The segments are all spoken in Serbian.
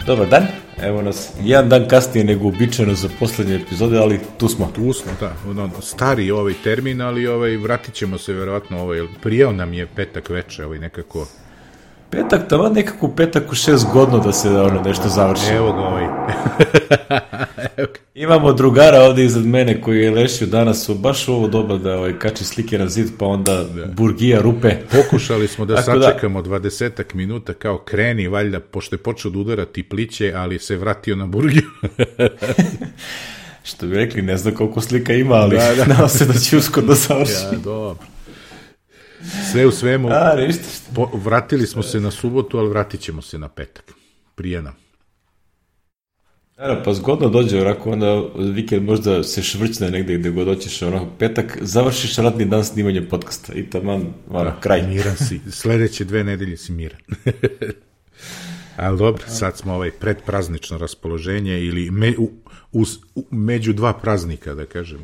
Dobar dan, evo nas jedan dan kasnije nego uobičajeno za poslednje epizode, ali tu smo. Tu smo, da, stari ovaj termin, ali vratit ćemo se verovatno, prijao nam je petak veče, nekako... Petak, tamo nekako petak u 6 godina da se nešto završi. Evo ga Imamo drugara ovde iznad mene koji je lešio danas baš u ovo doba da kači slike na zid, pa onda burgija rupe. Pokušali smo da sačekamo 20 minuta, kao kreni, valjda, pošto je počeo da udarati pliće, ali se vratio na burgiju. Što bi rekli, ne znam koliko slika ima, ali nadam se da će uskoro da završi. Ja, dobro. Sve u svemu, vratili smo se na subotu, ali vratit ćemo se na petak. Prije nam. Pa zgodno dođe, onako, onda vikend možda se švrćne negde gde god hoćeš, petak, završiš radni dan snimanja podcasta i taman, kraj. Miran si, sledeće 2 nedelje si miran. Ali dobro, sad smo predpraznično raspoloženje ili među 2 praznika, da kažem,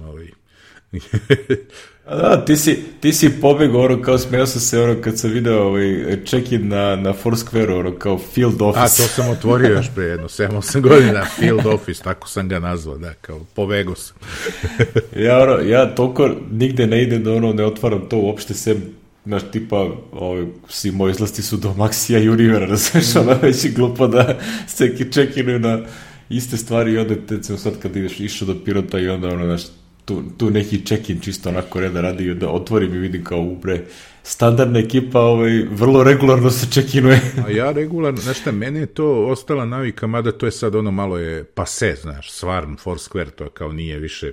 Da, ti si pobegao, kao smeo sam se, kad sam video check-in na Foursquare, kao field office. A, to sam otvorio još pre jedno 7-8 godina, field office, tako sam ga nazvao, da, kao pobegao sam. Ja toliko nigde ne idem da ne otvaram to uopšte sem, znaš, tipa, svi moji izlasti su do Maxija i Univera, razumiješ, već je glupo da se check-inuju na iste stvari i onda tecimo sad kad ideš išao do Pirota i onda, znaš, tu neki check-in čisto onako reda radi, da otvorim i vidim kao standardna ekipa vrlo regularno se check-inuje. A ja regularno, znaš šta, mene je to ostala navika, mada to je sad malo je pase, znaš, stvarno, Foursquare, to kao nije više,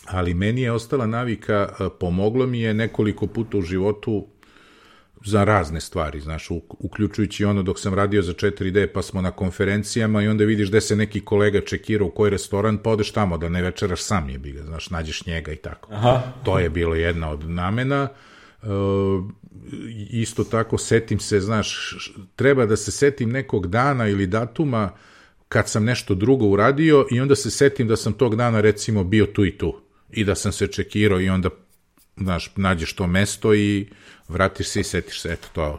ali meni je ostala navika, pomoglo mi je nekoliko puta u životu za razne stvari, znaš, uključujući dok sam radio za 4D, pa smo na konferencijama i onda vidiš gde se neki kolega čekira u koji restoran, pa odeš tamo da ne večeraš sam jebi ga, znaš, nađeš njega i tako. Aha. To je bilo jedna od namena. Isto tako, setim se, znaš, treba da se setim nekog dana ili datuma kad sam nešto drugo uradio i onda se setim da sam tog dana, recimo, bio tu i tu i da sam se čekirao i onda, znaš, nađeš to mesto i vratiš se i setiš se, eto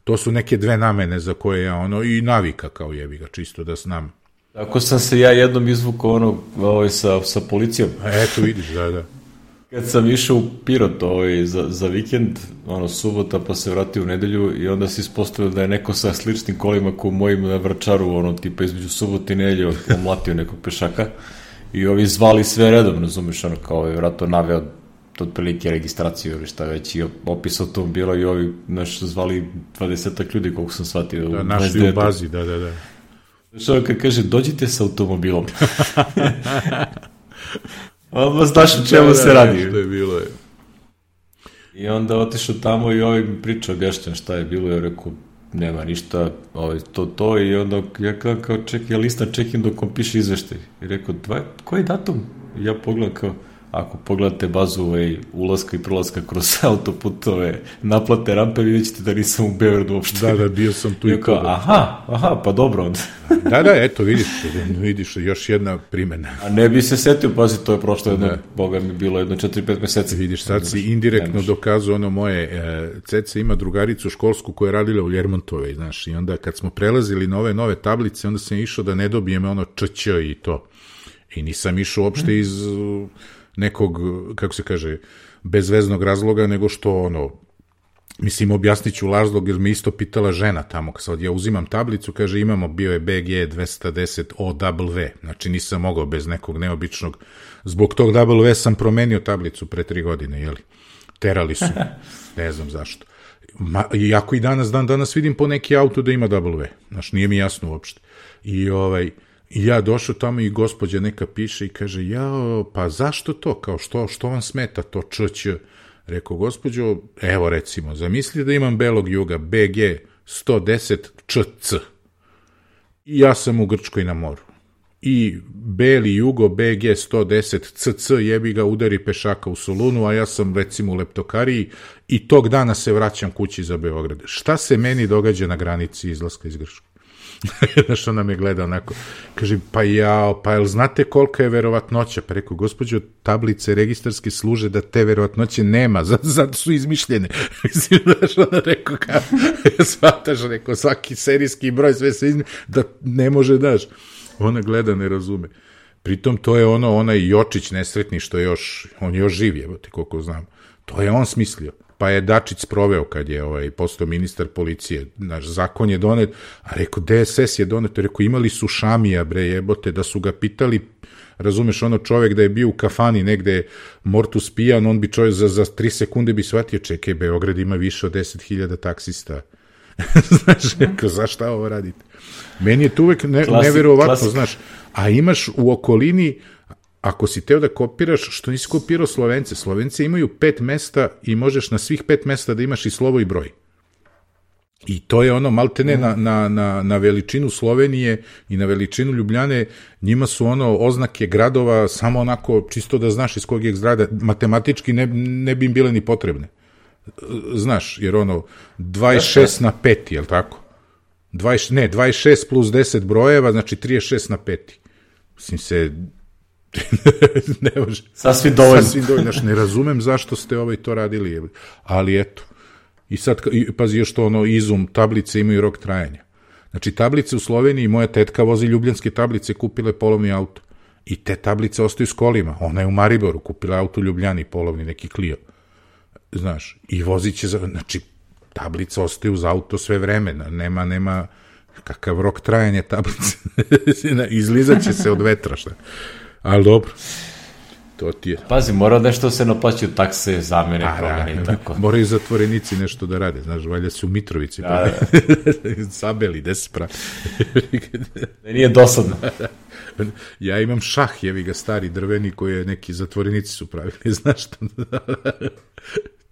to su neke 2 namene za koje ja i navika kao jebi ga, čisto da znam. Tako sam se ja jednom izvukao sa policijom. Eto vidiš, da. Kad sam išao u Pirot za vikend, subota, pa se vratio u nedelju i onda se ispostavio da je neko sa sličnim kolima ko mojim na Vračaru, tipa između subote i nedelje omlatio nekog pešaka i ovi zvali sve redom, razumiješ, kao vratno naveo otprilike registraciju ili šta već i opis automobila i ovi zvali 20 ljudi koliko sam shvatio. Da, našli u bazi, da. Što kad kaže, dođite sa automobilom. Odmah znaš o čemu se radi. Što je bilo je. I onda otišao tamo i ovi mi pričao, objašnjam šta je bilo, ja rekao, nema ništa, to i onda ja kao čekaj, ja listam check-in dok on piše izveštaj. I rekao, koji datum? I ja pogledam kao, ako pogledate bazu ulaska i prolaska kroz autoputove naplate rampe, vidjet ćete da nisam u Beogradu uopšte. Da, bio sam tu i to. Aha, pa dobro onda. Da, eto, vidiš, još jedna primjena. A ne bi se setio, pazi, to je prošlo boga mi bilo 4-5 meseci. Vidiš, sad si indirektno dokazao moje, Ceca ima drugaricu školsku koja je radila u Ljermontovej, znaš, i onda kad smo prelazili na ove nove tablice, onda sam išao da ne dobijem ČČ i to. I nisam išao uopšte iz nekog, kako se kaže, bezveznog razloga, nego što mislim, objasnit ću razlog, jer me isto pitala žena tamo, kad ja uzimam tablicu, kaže, imamo, bio je BG 210 OW, znači nisam mogao bez nekog neobičnog, zbog tog W sam promenio tablicu pre 3 godine, jeli, terali su, ne znam zašto. Iako i danas vidim po neki auto da ima W, znači nije mi jasno uopšte. I ja došao tamo i gospođa neka piše i kaže, pa zašto to, kao što vam smeta to ČČ? Rekao, gospođo, evo recimo, zamisli da imam belog juga, BG 110 ČC. I ja sam u Grčkoj na moru. I beli jugo BG 110 CC jebi ga udari pešaka u Solunu, a ja sam recimo u Leptokariji i tog dana se vraćam kući za Beograd. Šta se meni događa na granici izlaska iz Grčke? Znaš, ona me gleda onako, kaže, pa jel znate kolika je verovatnoća? Pa rekao, gospođo, tablice registarske služe da te verovatnoće nema, zato su izmišljene. Mislim, znaš, ona rekao, shvataš, rekao, svaki serijski broj, sve se da ne može, daš. Ona gleda, ne razume. Pritom, to je onaj Jočić nesretni, što je on još živ, jebote, koliko znam. To je on smislio. Pa je Dačić sproveo kad je postao ministar policije. Naš zakon je donet, a rekao, DSS je donet, rekao, imali su Šamija, bre, jebote, da su ga pitali, razumeš, čovek da je bio u kafani negde mortus pijan, on bi čovjek za 3 sekunde bi shvatio, čekaj, Beograd ima više od 10.000 taksista. Znaš, rekao, zašta ovo radite? Meni je to uvek neverovatno, znaš, a imaš u okolini, ako si teo da kopiraš, što nisi kopirao Slovence? Slovence imaju 5 mesta i možeš na svih 5 mesta da imaš i slovo i broj. I to je maltene na veličinu Slovenije i na veličinu Ljubljane, njima su oznake gradova samo onako, čisto da znaš iz kog je zgrada, matematički ne bi im bile ni potrebne. Znaš, jer 26 na 5, jel tako? 26 plus 10 brojeva, znači 36 na 5. Mislim se... ne može. Sasvim dovoljno. Znaš, ne razumem zašto ste to radili, ali eto. I sad, pazi još to, izum, tablice imaju rok trajanja. Znači, tablice u Sloveniji, moja tetka vozi ljubljanske tablice, kupila je polovni auto. I te tablice ostaju s kolima. Ona je u Mariboru, kupila auto u Ljubljani, polovni, neki Clio. Znaš, i vozit će, znači, tablice ostaju uz auto sve vreme, nema kakav rok trajanja tablice. Izlizat će se od vetra, šta. Ali dobro, to ti je. Pazi, mora nešto se naplaćaju takse, zamene, promene i tako. Moraju zatvorenici nešto da rade, znaš, valjda su u Mitrovici. Sabeli, gde se pravi. Nije dosadno. Ja imam šah, jevi ga, stari drveni, koje neki zatvorenici su pravili, znaš što?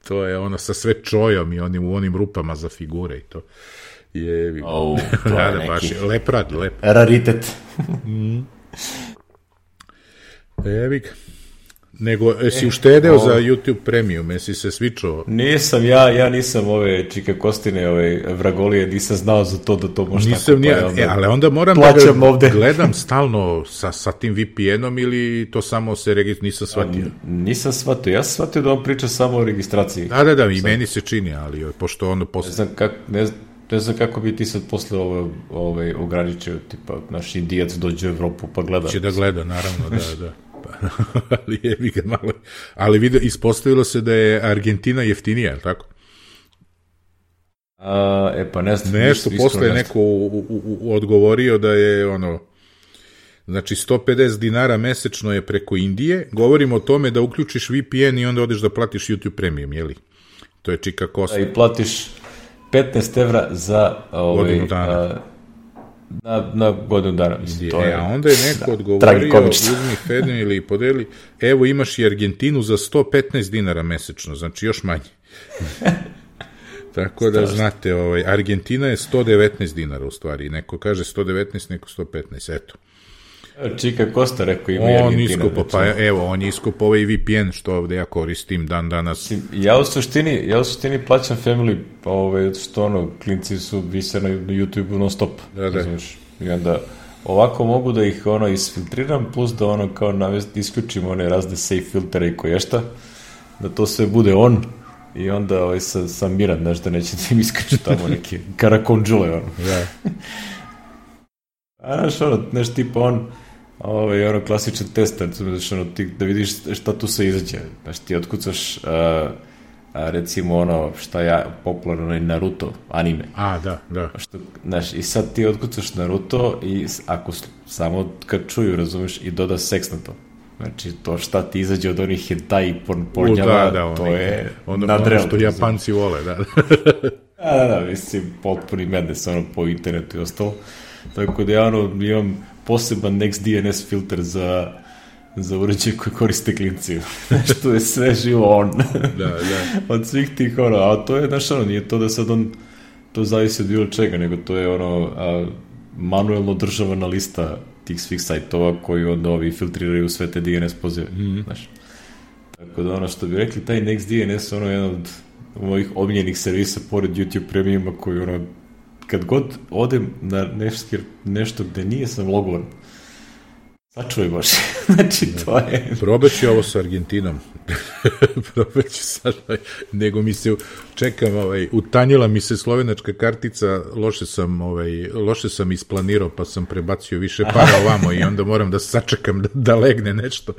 To je sa sve čojom i u onim rupama za figure i to. Jevi. To je neki leprad. Raritet. Evi ga. Nego, si uštedeo za YouTube Premium, jesi se svičao? Nisam, ja nisam ove Čika Kostine, vragolije, nisam znao za to da to može nisam tako. Ali onda moram da ga gledam stalno sa tim VPN-om ili to samo se nisam shvatio? Nisam shvatio, ja sam shvatio da on priča samo o registraciji. Da, i meni se čini, ali pošto posle... Ne znam kako bi ti sad posle ograničio, tipa, naš Indijac dođe u Evropu pa gleda. Će da gleda, naravno, da. Ali jebi ga malo. Ali ispostavilo se da je Argentina jeftinija, je tako? Pa ne znam. Nešto posle je neko odgovorio da je znači 150 dinara mesečno je preko Indije. Govorimo o tome da uključiš VPN i onda odeš da platiš YouTube Premium, jeli? To je Čika Kosta. I platiš 15 evra za godinu dana. Na godinu dana. A onda je neko odgovorio, uzmi Fedin ili podeli, evo imaš i Argentinu za 115 dinara mesečno, znači još manje. Tako da znate, Argentina je 119 dinara u stvari, neko kaže 119, neko 115, eto. Čika Kosta rekao ima i Argentina. On je iskupo ovaj VPN što ovde ja koristim dan danas. Ja u suštini plaćam Family, što klinci su vise na YouTube non stop. Da. I onda ovako mogu da ih isfiltriram, plus da kao isključim one razne safe filtere i koješta, da to sve bude on i onda sam miran, znaš, da neće da im isključiti tamo neke karakonđule, Da. Znaš, tipa klasičan test, da vidiš šta tu se izađe. Znaš, ti otkucaš, recimo šta je popularno, Naruto, anime. Da. Znaš, i sad ti otkucaš Naruto i ako samo kad čuju, razumeš, i doda seks na to. Znači, to šta ti izađe od onih hentai pornjava, to je nadrealno. Ono što Japanci vole, da. Da, mislim, potpuni mednes, po internetu i ostalo. Tako da ja imam poseban NextDNS filter za uređaj koji koriste klinci. Što je sve živo Da. Od svih tih a to je, nije to da sad to zavisi od bilo čega, nego to je manuelno državana lista tih svih sajtova koji onda filtriraju sve te DNS pozive. Znaš. Tako da što bi rekli, taj NextDNS jedan od mojih omiljenih servisa pored YouTube Premiuma koji kad god odem na nešto gde nije sam logovan, sačuvaj baš. Znači, to je... Probaću ovo sa Argentinom. Probaću sad, nego mi se, čekam, utanjila mi se slovenačka kartica, loše sam isplanirao, pa sam prebacio više para ovamo i onda moram da sačekam da legne nešto,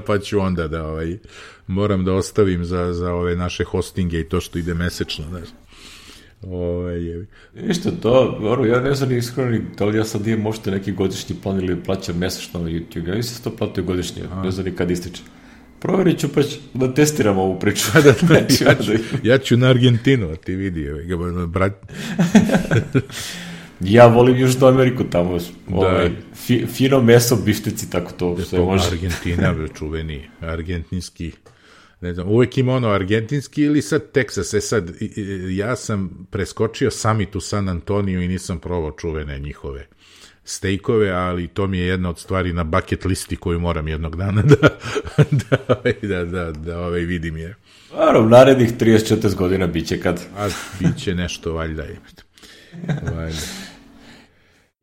pa ću onda da, moram da ostavim za ove naše hostinge i to što ide mesečno, znaš. Ništa to, ja ne znam ni iskreno, da li ja sad imam možete neki godišnji plan ili plaćam mesečno na YouTube, ja nisam to platio godišnje, ne znam ni kad ističe. Proverit ću pa ću da testiram ovu priču. Ja ću na Argentinu, a ti vidi, brat. Ja volim Južnu Ameriku tamo, fino meso, bifteci, tako to sve može. Argentina, čuveni, argentinski, ne znam, uvek ima argentinski ili sad Teksas, sad, ja sam preskočio summit u San Antoniju i nisam probao čuvene njihove stejkove, ali to mi je jedna od stvari na bucket listi koju moram jednog dana da vidim je. Naravno, narednih 34 godina biće kad. A biće nešto, valjda je.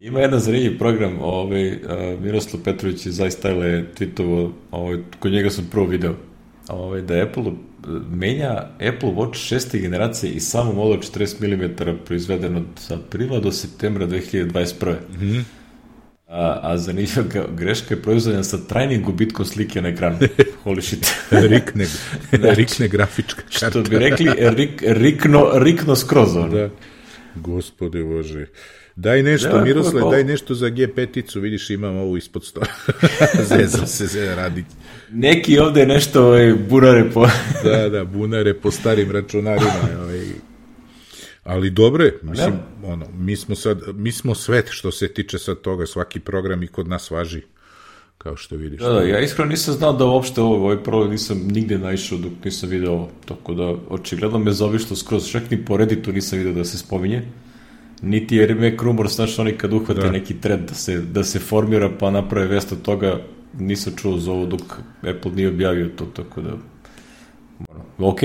Ima jedan zanimljiv program, Miroslav Petrović iz iStyle je tweetovo, kod njega sam prvo video, da Apple menja Apple Watch 6. generacije i samo model 40 mm proizveden od aprila do septembra 2021. Mm-hmm. A zanimljiva greška je proizvedena sa trajnim gubitkom slike na ekranu. Holy shit. Rikne grafička karta. Što bi rekli, rikno skroz. Da. Gospode Bože. Daj nešto, Miroslav, daj nešto za G5-icu, vidiš, imam ovu ispod stola. Zezam se radi. Neki ovde nešto bunare po... Da, bunare po starim računarima. Ali dobre, mislim, mi smo svet što se tiče sad toga, svaki program i kod nas važi, kao što vidiš. Da, ja iskreno nisam znao da uopšte ovaj problem nisam nigde naišao dok nisam video ovo, tako da očigledno me zaobišlo skroz, čak ni po Redditu nisam video da se spominje, niti je Mac Rumors, znači oni kad uhvate neki trend da se formira pa naprave vest od toga, nisam čuo za ovo dok Apple nije objavio to, tako da ok,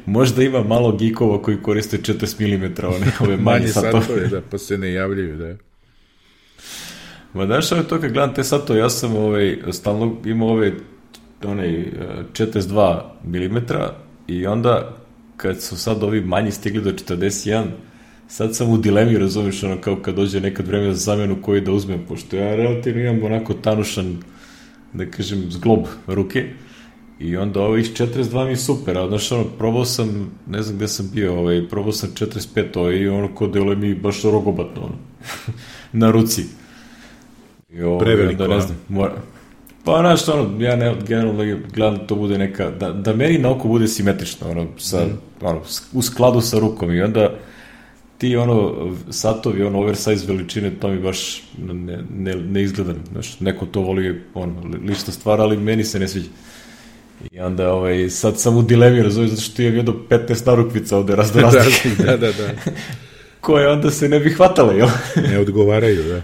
možda ima malo geekova koji koriste 40 mm ove manje satove. Da, pa se ne javljaju, da. Ma daš to kad gledam te satove, ja sam stalno imao 42 mm i onda kad su sad ovi manji stigli do 41, sad sam u dilemi, razumiješ, kao kad dođe nekad vreme za zamenu koji da uzmem, pošto ja relativno imam onako tanušan, da kažem, zglob ruke, i onda ovo iz 42 mi je super, a znaš, probao sam, ne znam gde sam bio, probao sam 45, i ko deluje mi baš rogobatno, na ruci. Preveliko, ne znam, pa znaš, ja generalno gledam da to bude neka, da meni na oko bude simetrično, u skladu sa rukom, i onda ti satovi, oversize veličine, to mi baš ne izgleda, znaš, neko to voli, lična stvar, ali meni se ne sviđa. I onda sad sam u dilemi, razumiješ, zato što imam jedno 15 narukvica ovde raznoraznih. Da. Koje onda se ne bi hvatale, jel? Ne odgovaraju, da.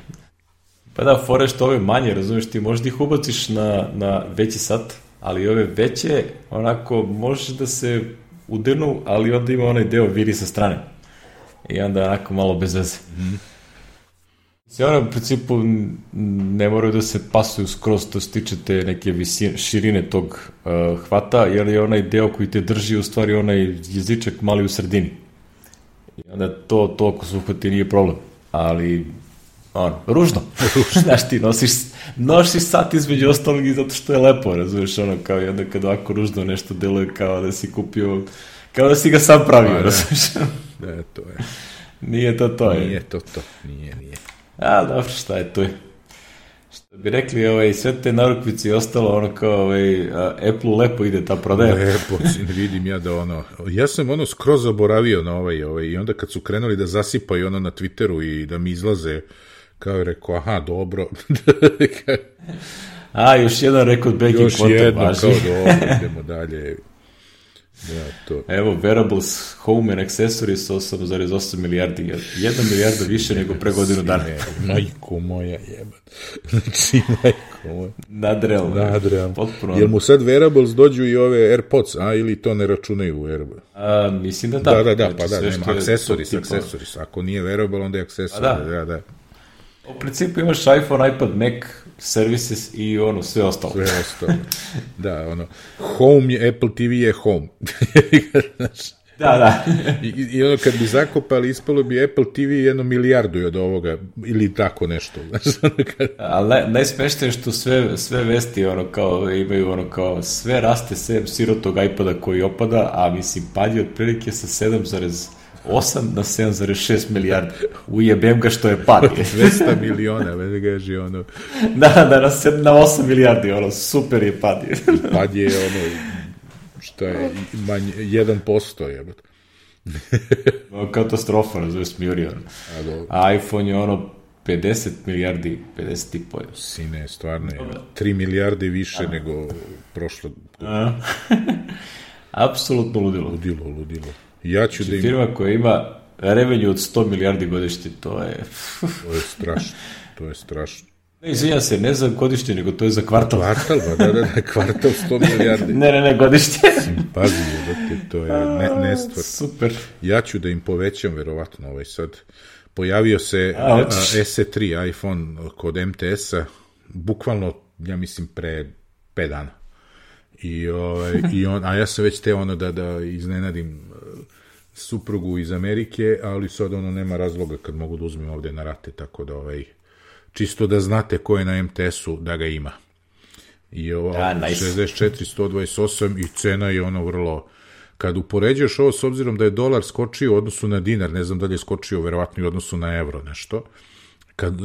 Pa da, fore što ove manje, razumiješ, ti možda ih ubaciš na veći sat, ali ove veće, onako, možeš da se udirnu, ali onda ima onaj deo viri sa strane. I onda onako malo bez veze. U principu ne moraju da se pasuju skroz, to se tiče te neke širine tog hvata, jer je onaj deo koji te drži u stvari onaj jezičak mali u sredini. I onda to ako se uhvati nije problem. Ali, ružno. Znaš, ti nosiš sat između ostalog i zato što je lepo, razumiješ, kao i onda kad ovako ružno nešto deluje kao da si kupio, kao da si ga sam pravio, razumiješ. Da, to je. Nije to. Nije to, nije. A, dobro, šta je tu? Što bi rekli, sve te narukvice i ostalo, kao Apple lepo ide ta prodaja. Lepo, vidim ja da ja sam skroz zaboravio na i onda kad su krenuli da zasipaju na Twitteru i da mi izlaze, kao je rekao, aha, dobro. A, još jedan rekord breaking quarter, još jedno, kao dobro, idemo dalje. to. Evo, wearables, home and accessories 8,8 milijardi. 1 milijarda više nego pre godinu dana. Majko moja jebat. Znači, majko moja. Nadrealno. Potpuno. Jel mu sad wearables dođu i ove AirPods, ili to ne računaju u AirPods? Mislim da da. Da, pa da, nema. Accessories. Ako nije wearable, onda je accessories. Da. U principu imaš iPhone, iPad, Mac, services i sve ostalo. Da, Home je, Apple TV je Home. Da. I kad bi zakopali, ispalo bi Apple TV 1 milijardu od ovoga, ili tako nešto. Ali najsmešnije što sve vesti imaju sve raste sem sirotog iPada koji opada, a mislim pad je otprilike sa 7,8 na 7,6 milijardi. Ujebem ga što je pad. 200 miliona, već gaži Da, na 8 milijardi, super je pad. Pad je što je manje, 1% jebate. Katastrofa, smiri. A iPhone je 50 milijardi, 50,5. Sine, stvarno je. 3 milijarde više nego prošlo. Apsolutno ludilo. Ja ću znači, firma koja ima revenue od 100 milijardi godišnje, to je strašno. Ne, izvinjam se, ne za godišnje, nego to je za kvartal. Kvartal 100 milijardi. Ne, godišnje. Pazi, to je nestvar. Super. Ja ću da im povećam, verovatno, sad. Pojavio se SE3 iPhone kod MTS-a, bukvalno, ja mislim, pre 5 dana. A ja sam već teo da iznenadim suprugu iz Amerike, ali sad nema razloga kad mogu da uzmem ovde na rate, tako da čisto da znate ko je na MTS-u da ga ima. I 64, 128 i cena je vrlo... Kad upoređuješ ovo s obzirom da je dolar skočio u odnosu na dinar, ne znam da li je skočio verovatno i u odnosu na evro nešto,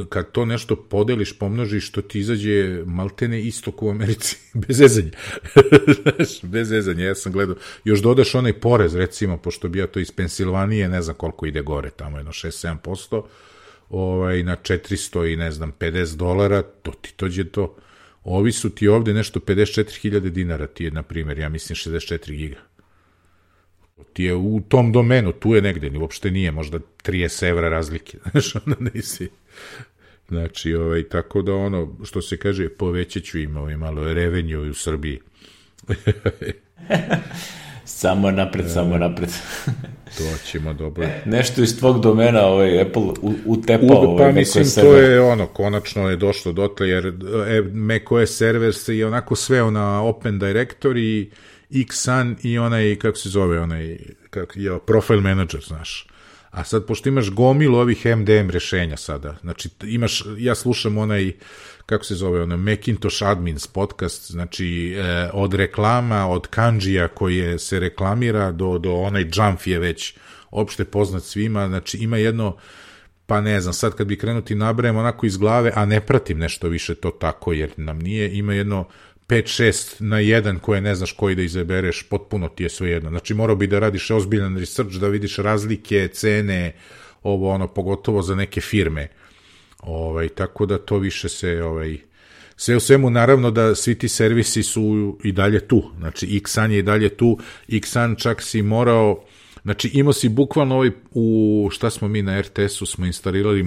kad to nešto podeliš, pomnožiš, što ti izađe maltene istok u Americi, bez zezanja. Bez zezanja, ja sam gledao. Još dodaš onaj porez, recimo, pošto bi ja to iz Pensilvanije, ne znam koliko ide gore, tamo 6-7%, na 400 i ne znam, $50, to ti dođe to. Ovi su ti ovde nešto 54.000 dinara, ti je, na primjer, ja mislim 64 giga. Ti je u tom domenu, tu je negde, uopšte nije, možda 30 evra razlike, znaš, nisi. Znači, tako da što se kaže, povećat ću im malo revenue u Srbiji. Samo napred. To ćemo dobro. Nešto iz tvog domena, Apple utepao. Pa mislim, to je konačno je došlo dotle, jer macOS server se je onako sveo na Open Directory, Xsun i kako se zove, Profile Manager, znaš. A sad, pošto imaš gomilu ovih MDM rešenja sada, znači ja slušam kako se zove, Macintosh Admins podcast, znači od reklama, od kanđija koje se reklamira do onaj Jump je već opšte poznat svima, znači ima jedno, pa ne znam, sad kad bi krenuti nabrajem onako iz glave, a ne pratim nešto više to tako, jer nam nije, ima jedno 5-6 na 1 koje ne znaš koji da izabereš, potpuno ti je sve jedno. Znači morao bi da radiš ozbiljan research, da vidiš razlike, cene, pogotovo za neke firme. Tako da to više se, sve u svemu, naravno da svi ti servisi su i dalje tu. Znači Xsun je i dalje tu, Xsun čak si morao, znači imao si bukvalno šta smo mi na RTS-u, smo instalirali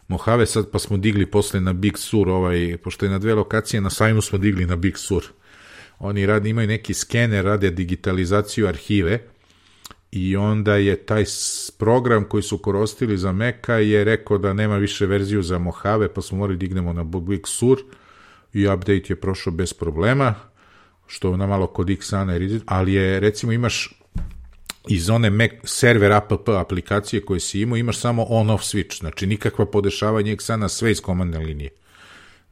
Mojave sad, pa smo digli posle na Big Sur, pošto je na 2 lokacije, na sajmu smo digli na Big Sur. Oni imaju neki skener, rade digitalizaciju arhive i onda je taj program koji su koristili za Maca je rekao da nema više verziju za Mojave, pa smo morali dignemo na Big Sur i update je prošao bez problema, što na malo kod Xana, ali je, recimo, imaš iz one Mac server app aplikacije koje si imao, imaš samo on-off switch, znači nikakva podešavanja Xana, sve iz komandne linije.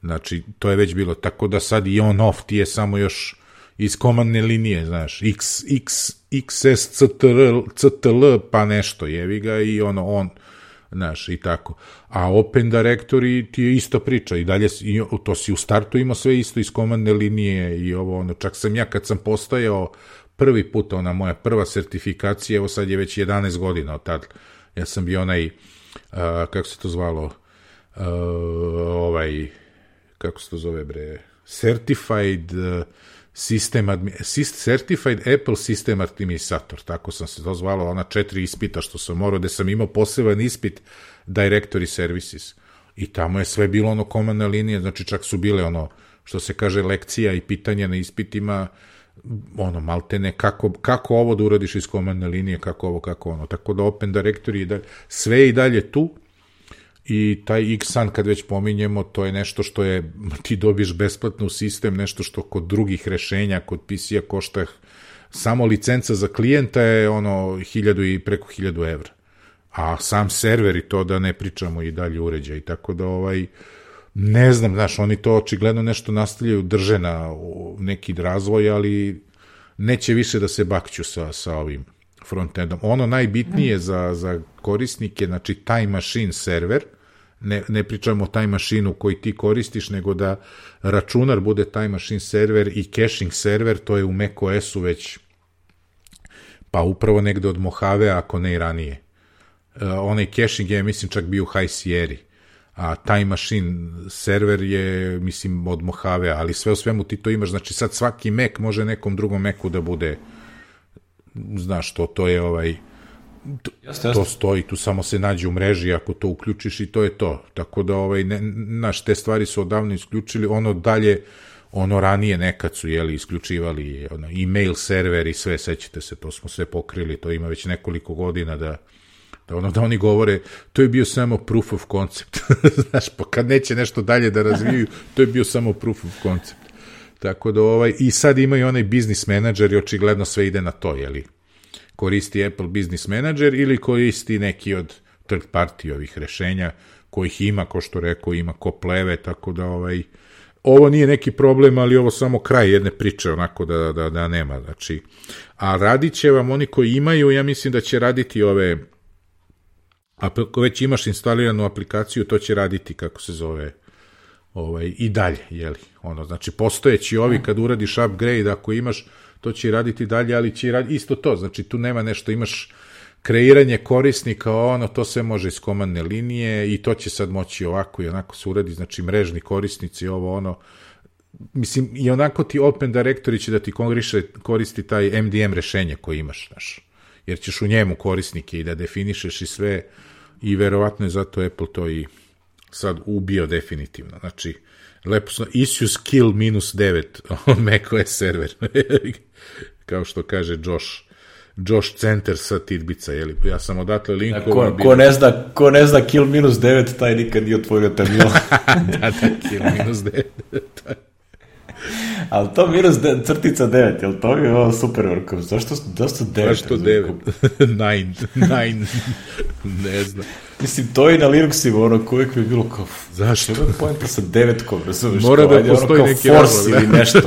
Znači, to je već bilo, tako da sad i on-off ti je samo još iz komandne linije, znaš, XS, CTL, pa nešto, jevi ga i on, znaš, i tako. A Open Directory ti je ista priča i dalje, to si u startu imao sve isto iz komandne linije i čak sam ja kad sam postajao prvi put, moja prva sertifikacija, evo sad je već 11 godina od tad, ja sam bio kako se to zvalo, kako se to zove, bre, Certified Certified Apple System Administrator, tako sam se to zvalo, ona 4 ispita što sam morao, gde sam imao poseban ispit Directory Services. I tamo je sve bilo ono komandna linija, znači čak su bile ono, što se kaže, lekcija i pitanja na ispitima, ono, maltene, kako ovo da uradiš iz komandne linije, kako ovo, kako ono. Tako da Open Directory, sve je i dalje tu, i taj Xsun, kad već pominjemo, to je nešto što je, ti dobiš besplatno u sistem, nešto što kod drugih rešenja, kod PC-a košta, samo licenca za klijenta je ono 1000 i preko 1000 evra. A sam server i to da ne pričamo i dalje uređaj. Tako da ne znam, znaš, oni to očigledno nešto nastavljaju, drže na neki razvoj, ali neće više da se bakću sa ovim frontendom. Ono najbitnije za korisnike, znači Time Machine server, ne pričamo o Time Machine-u koji ti koristiš, nego da računar bude Time Machine server i caching server, to je u macOS-u već pa upravo negde od Mojave, ako ne i ranije. Onaj caching je, mislim, čak bio u High Sierra, a Time Machine server je, mislim, od Mojave, ali sve u svemu ti to imaš, znači sad svaki Mac može nekom drugom Macu da bude, znaš, to je to stoji, tu samo se nađe u mreži ako to uključiš i to je to. Tako da, znaš, te stvari su odavno isključili, ono dalje, ono ranije nekad su, isključivali email server i sve, sećate se, to smo sve pokrili, to ima već nekoliko godina da oni govore, to je bio samo proof of concept. Znaš, pa kad neće nešto dalje da razviju, to je bio samo proof of concept. Tako da, i sad imaju onaj business manager i očigledno sve ide na to, koristi Apple Business Manager ili koristi neki od third party ovih rešenja kojih ima, ko što rekao, ima ko pleve, tako da ovo nije neki problem, ali ovo samo kraj jedne priče, onako da nema, znači, a radit će vam oni koji imaju, ja mislim da će raditi ako već imaš instaliranu aplikaciju, to će raditi, kako se zove, i dalje, znači, postojeći ovi, kad uradiš upgrade, ako imaš, to će raditi dalje, ali će raditi isto to, znači tu nema nešto, imaš kreiranje korisnika, to sve može iz komandne linije i to će sad moći ovako i onako se uradi, znači mrežni korisnici, mislim, i onako ti Open Directory će da ti koristi taj MDM rešenje koje imaš, znaš, jer ćeš u njemu korisnike i da definišeš i sve, i verovatno je zato Apple to i sad ubio definitivno, znači, lepo sam, issues kill -9 on macOS server, kao što kaže Josh Center sa Tidbica, ja sam odatle linkovan. Ko ne zna kill -9, taj nikad nije otvorio terminal. da, kill -9. Ali to -9, jel to je ovo super workom? Zašto 9? Zašto 9? 9, ne znam. Mislim, to i na Linuxima, uvijek bi bilo kao... Zašto? Što je pojenta sa 9-kom, razumiješ? Mora da postoji neki force ili nešto.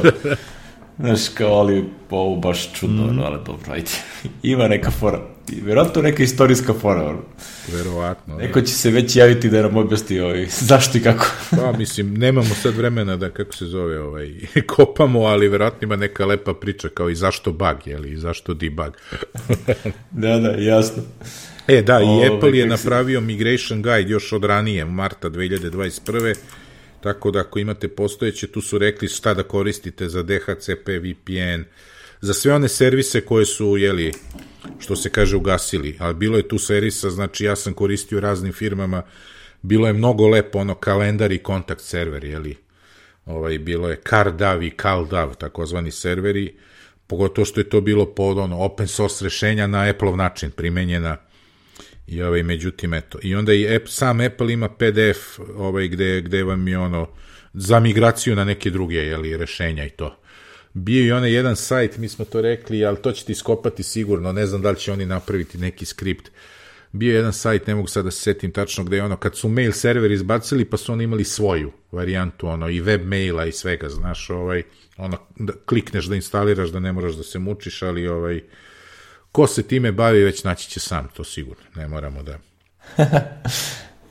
Znaš, kao, ali ovo baš čudno, ali dobro, ajde. Ima neka fora. Vjerojatno neka istorijska fora. Verovatno. Neko će se već javiti da nam objasni zašto i kako. Pa, mislim, nemamo sad vremena da, kako se zove, kopamo, ali verovatno ima neka lepa priča kao i zašto bug, i zašto debug. Da, jasno. Da, i Apple je napravio migration guide još od ranije, marta 2021. Tako da ako imate postojeće, tu su rekli šta da koristite za DHCP, VPN, za sve one servise koje su, što se kaže, ugasili, ali bilo je tu servisa, znači ja sam koristio raznim firmama, bilo je mnogo lepo, kalendar i kontakt server, bilo je CarDAV i CalDAV, takozvani serveri, pogotovo što je to bilo pod open source rešenja na Apple-ov način primenjena. I međutim, eto. I onda i sam Apple ima PDF gde vam je za migraciju na neke druge rešenja i to. Bio je onaj jedan sajt, mi smo to rekli, ali to ćete iskopati sigurno, ne znam da li će oni napraviti neki skript. Bio je jedan sajt, ne mogu sad da se setim tačno, gde je kad su mail server izbacili, pa su oni imali svoju varijantu, i web maila i svega, znaš, da klikneš da instaliraš, da ne moraš da se mučiš, ali ko se time bavi, već naći će sam, to sigurno, ne moramo da...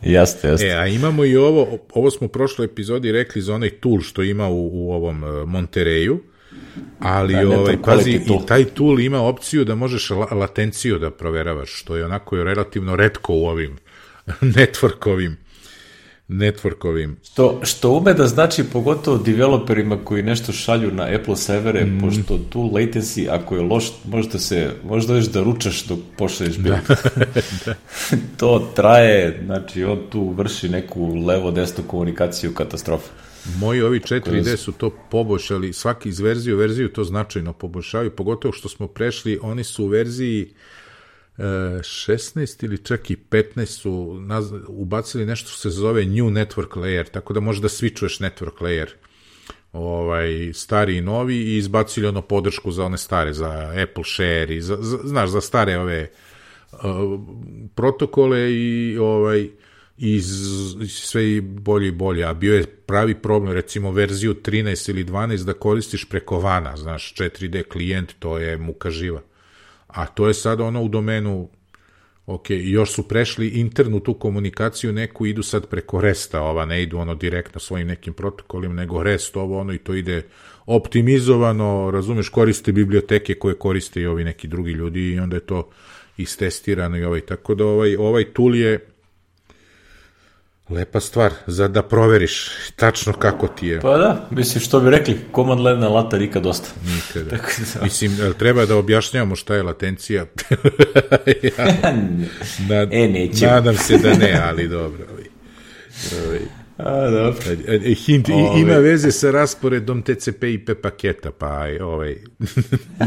Jeste. A imamo i ovo smo u prošloj epizodi rekli za onaj tool što ima u ovom Monterreyu, ali pazi, i taj tool ima opciju da možeš latenciju da proveravaš, što je onako relativno retko u ovim networkovim networkovim. Što ume da znači pogotovo developerima koji nešto šalju na Apple servere, pošto tu latency, ako je loš, možda još da ručaš dok pošalješ build. Da. To traje, znači on tu vrši neku levo-desnu komunikaciju, katastrofa. Moji ovi 4D su to poboljšali, svaki iz verziju to značajno poboljšavaju, pogotovo što smo prešli, oni su u verziji 16 ili čak i 15 su ubacili nešto što se zove New Network Layer, tako da možeš da switchuješ network layer, stari i novi, i izbacili ono podršku za one stare, za Apple Share i za stare ove protokole i sve bolje i bolje, a bio je pravi problem, recimo verziju 13 ili 12 da koristiš preko vana, znaš, 4D klijent, to je muka živa. A to je sad ono u domenu, još su prešli internu tu komunikaciju neku, idu sad preko REST-a, ne idu ono direktno svojim nekim protokolima, nego REST i to ide optimizovano, razumeš, koriste biblioteke koje koriste i ovi neki drugi ljudi i onda je to istestirano tako da ovaj tool je lepa stvar za da proveriš tačno kako ti je. Pa da, mislim, što bi rekli, command line na lata nikad dosta. Nikada. Mislim, treba da objašnjavamo šta je latencija. Nećemo. Nadam se da ne, ali dobro. Dobro. Hint, ima veze sa rasporedom TCP IP paketa, pa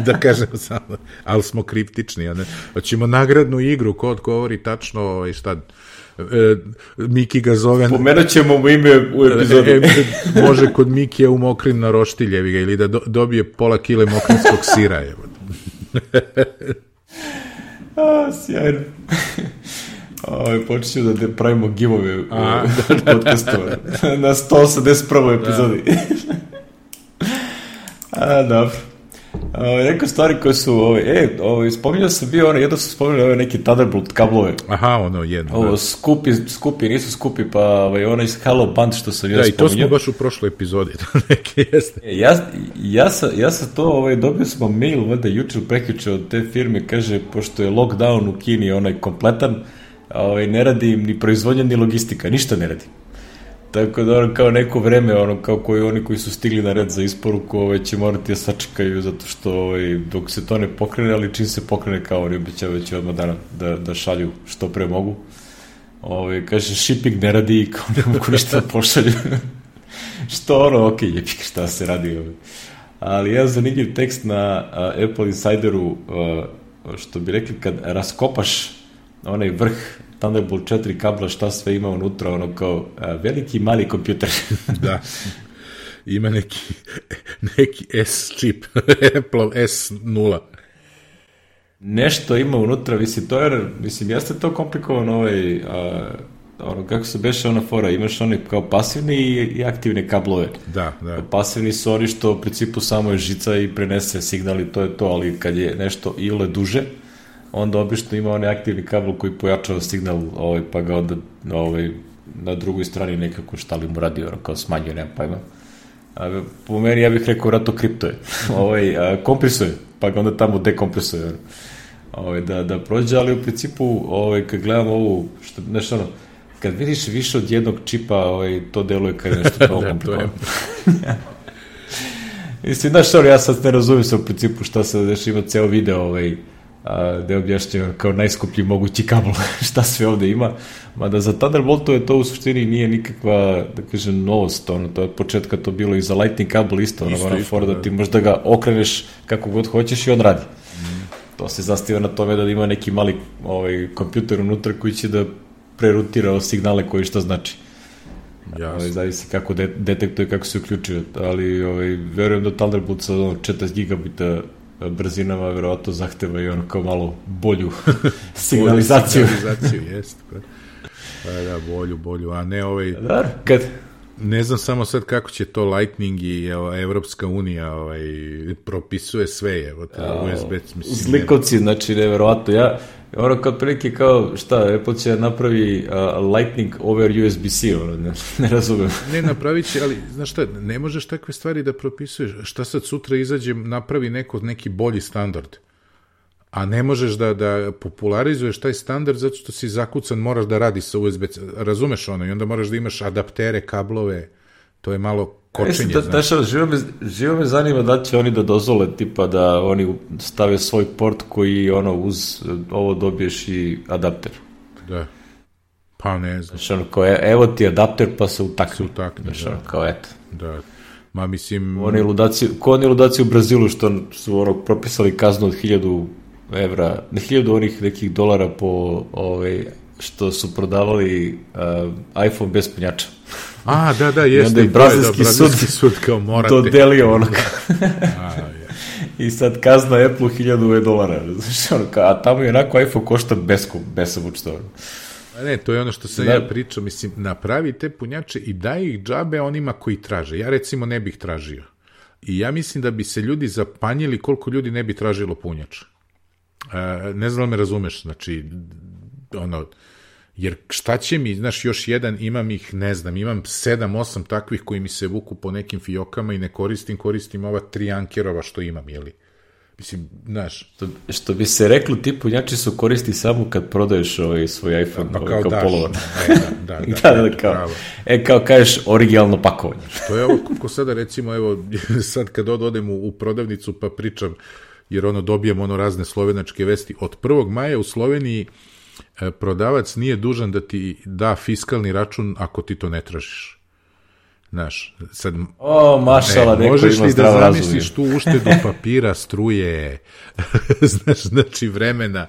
da kažem samo, ali smo kriptični. Hoćemo nagradnu igru, ko odgovori tačno šta... Miki ga zove... Pomenut ćemo mu ime u epizodi. Može kod Mikija u Mokrin na roštiljevi ga, ili da dobije pola kile mokrinskog sira. Sjajno. Počet ću da pravimo givove u podcastu na 181. epizodi. Dobro. Neke stvari koje su, spominjao sam bio, jedno sam spominjao neki Thunderbolt kablove. Aha, jedno. Skupi, nisu skupi, pa ono iz Hello Band što sam ja spominjao. Da, i to smo baš u prošloj epizodi. Ja sam to, dobio smo mail, vada jučer prekjuče od te firme, kaže, pošto je lockdown u Kini kompletan, ne radi im ni proizvodnja, ni logistika, ništa ne radi. Tako da kao neko vreme, kao oni koji su stigli na red za isporuku, će morati da sačekaju, zato što dok se to ne pokrene, ali čim se pokrene, kao oni obećavaju će odmah dana da šalju što pre mogu. Kaže, shipping ne radi i kao ne mogu ništa da pošalju. Što jebik, šta se radi. Ali jedan zanimljiv tekst na Apple Insideru, što bi rekli, kad raskopaš onaj vrh Thunderbolt 4 kabla, šta sve ima unutra, kao veliki i mali kompjuter. Da. Ima neki S-čip, Apple S0. Nešto ima unutra, jeste to komplikovano, kako se beše ona fora, imaš one kao pasivne i aktivne kablove. Da. Pasivni su oni što u principu samo je žica i prenese signal i to je to, ali kad je nešto ile duže, onda obično ima onaj aktivni kabel koji pojačava signal, pa ga onda na drugoj strani nekako šta li mu radi, kao smanjuje, nema pojma. Po meni ja bih rekao rato kriptuje. Kompresuje, pa ga onda tamo dekompresuje. Da prođe, ali u principu kad gledam ovu, kad vidiš više od jednog čipa, to deluje kao nešto kao komplikovano. Mislim, ja sad ne razumijem se u principu šta se deša, ima ceo video gde objašnjava kao najskuplji mogući kabel šta sve ovde ima, mada za Thunderboltove to u suštini nije nikakva, da kažem, novost, to je od početka to bilo i za Lightning kabel isto, da ti možda ga okreneš kako god hoćeš i on radi. To se zastiva na tome da ima neki mali kompjuter unutra koji će da prerutira signale koji šta znači. Zavisi kako detektuje, kako se uključuje, ali verujem da Thunderbolt sa 40 gigabita brzinama verovatno zahteva i kao malo bolju signalizaciju. Jeste. Pa da, bolju, a ne ne znam samo sad kako će to Lightning i Evropska unija propisuje sve, USB. Zlikovci, znači neverovatno. Kao prilike kao, Apple će napravi Lightning over USB-C, ne razumem. Ne, napravit će, ali znaš šta, ne možeš takve stvari da propisuješ. Šta sad sutra izađe, napravi neki bolji standard. a ne možeš da popularizuješ taj standard zato što si zakucan, moraš da radi sa USB-C, razumeš ono, i onda moraš da imaš adaptere, kablove, to je malo kočenje. Živo me zanima da će oni da dozvole, tipa da oni stave svoj port koji uz ovo dobiješ i adapter. Da. Pa ne znam. Znači, evo ti adapter pa se utakne. Znači, kao eto. Da. Ma mislim... Ko oni ludaci u Brazilu što su propisali kaznu od 1000 evra, ne 1000 onih nekih dolara po što su prodavali iPhone bez punjača. Da, jeste. I onda je brazilski sud kao morate. Dodelio I sad kazna Apple $1000. A tamo je onako iPhone košta besomučno. Ne, to je ono što sam ja pričao, mislim, napravi te punjače i daj ih džabe onima koji traže. Ja recimo ne bih tražio. I ja mislim da bi se ljudi zapanjili koliko ljudi ne bi tražilo punjač. Ne znam da me razumeš, znači, jer šta će mi, znaš, još jedan, imam ih, ne znam, imam 7-8 takvih koji mi se vuku po nekim fijokama i ne koristim ova 3 Ankerova što imam, jeli? Mislim, znaš... Što bi se reklo, ti punjači su koristi samo kad prodaješ svoj iPhone, kao polovan. Kao kažeš originalno pakovanje. To je ovo, kako sada recimo, evo, sad kad odem u prodavnicu pa pričam, jer dobijem razne slovenačke vesti, od 1. maja u Sloveniji prodavac nije dužan da ti da fiskalni račun ako ti to ne tražiš. Znaš, sad... mašala, neko ima zdravo razumije. Možeš li da zamisliš tu uštedu papira, struje, znači vremena,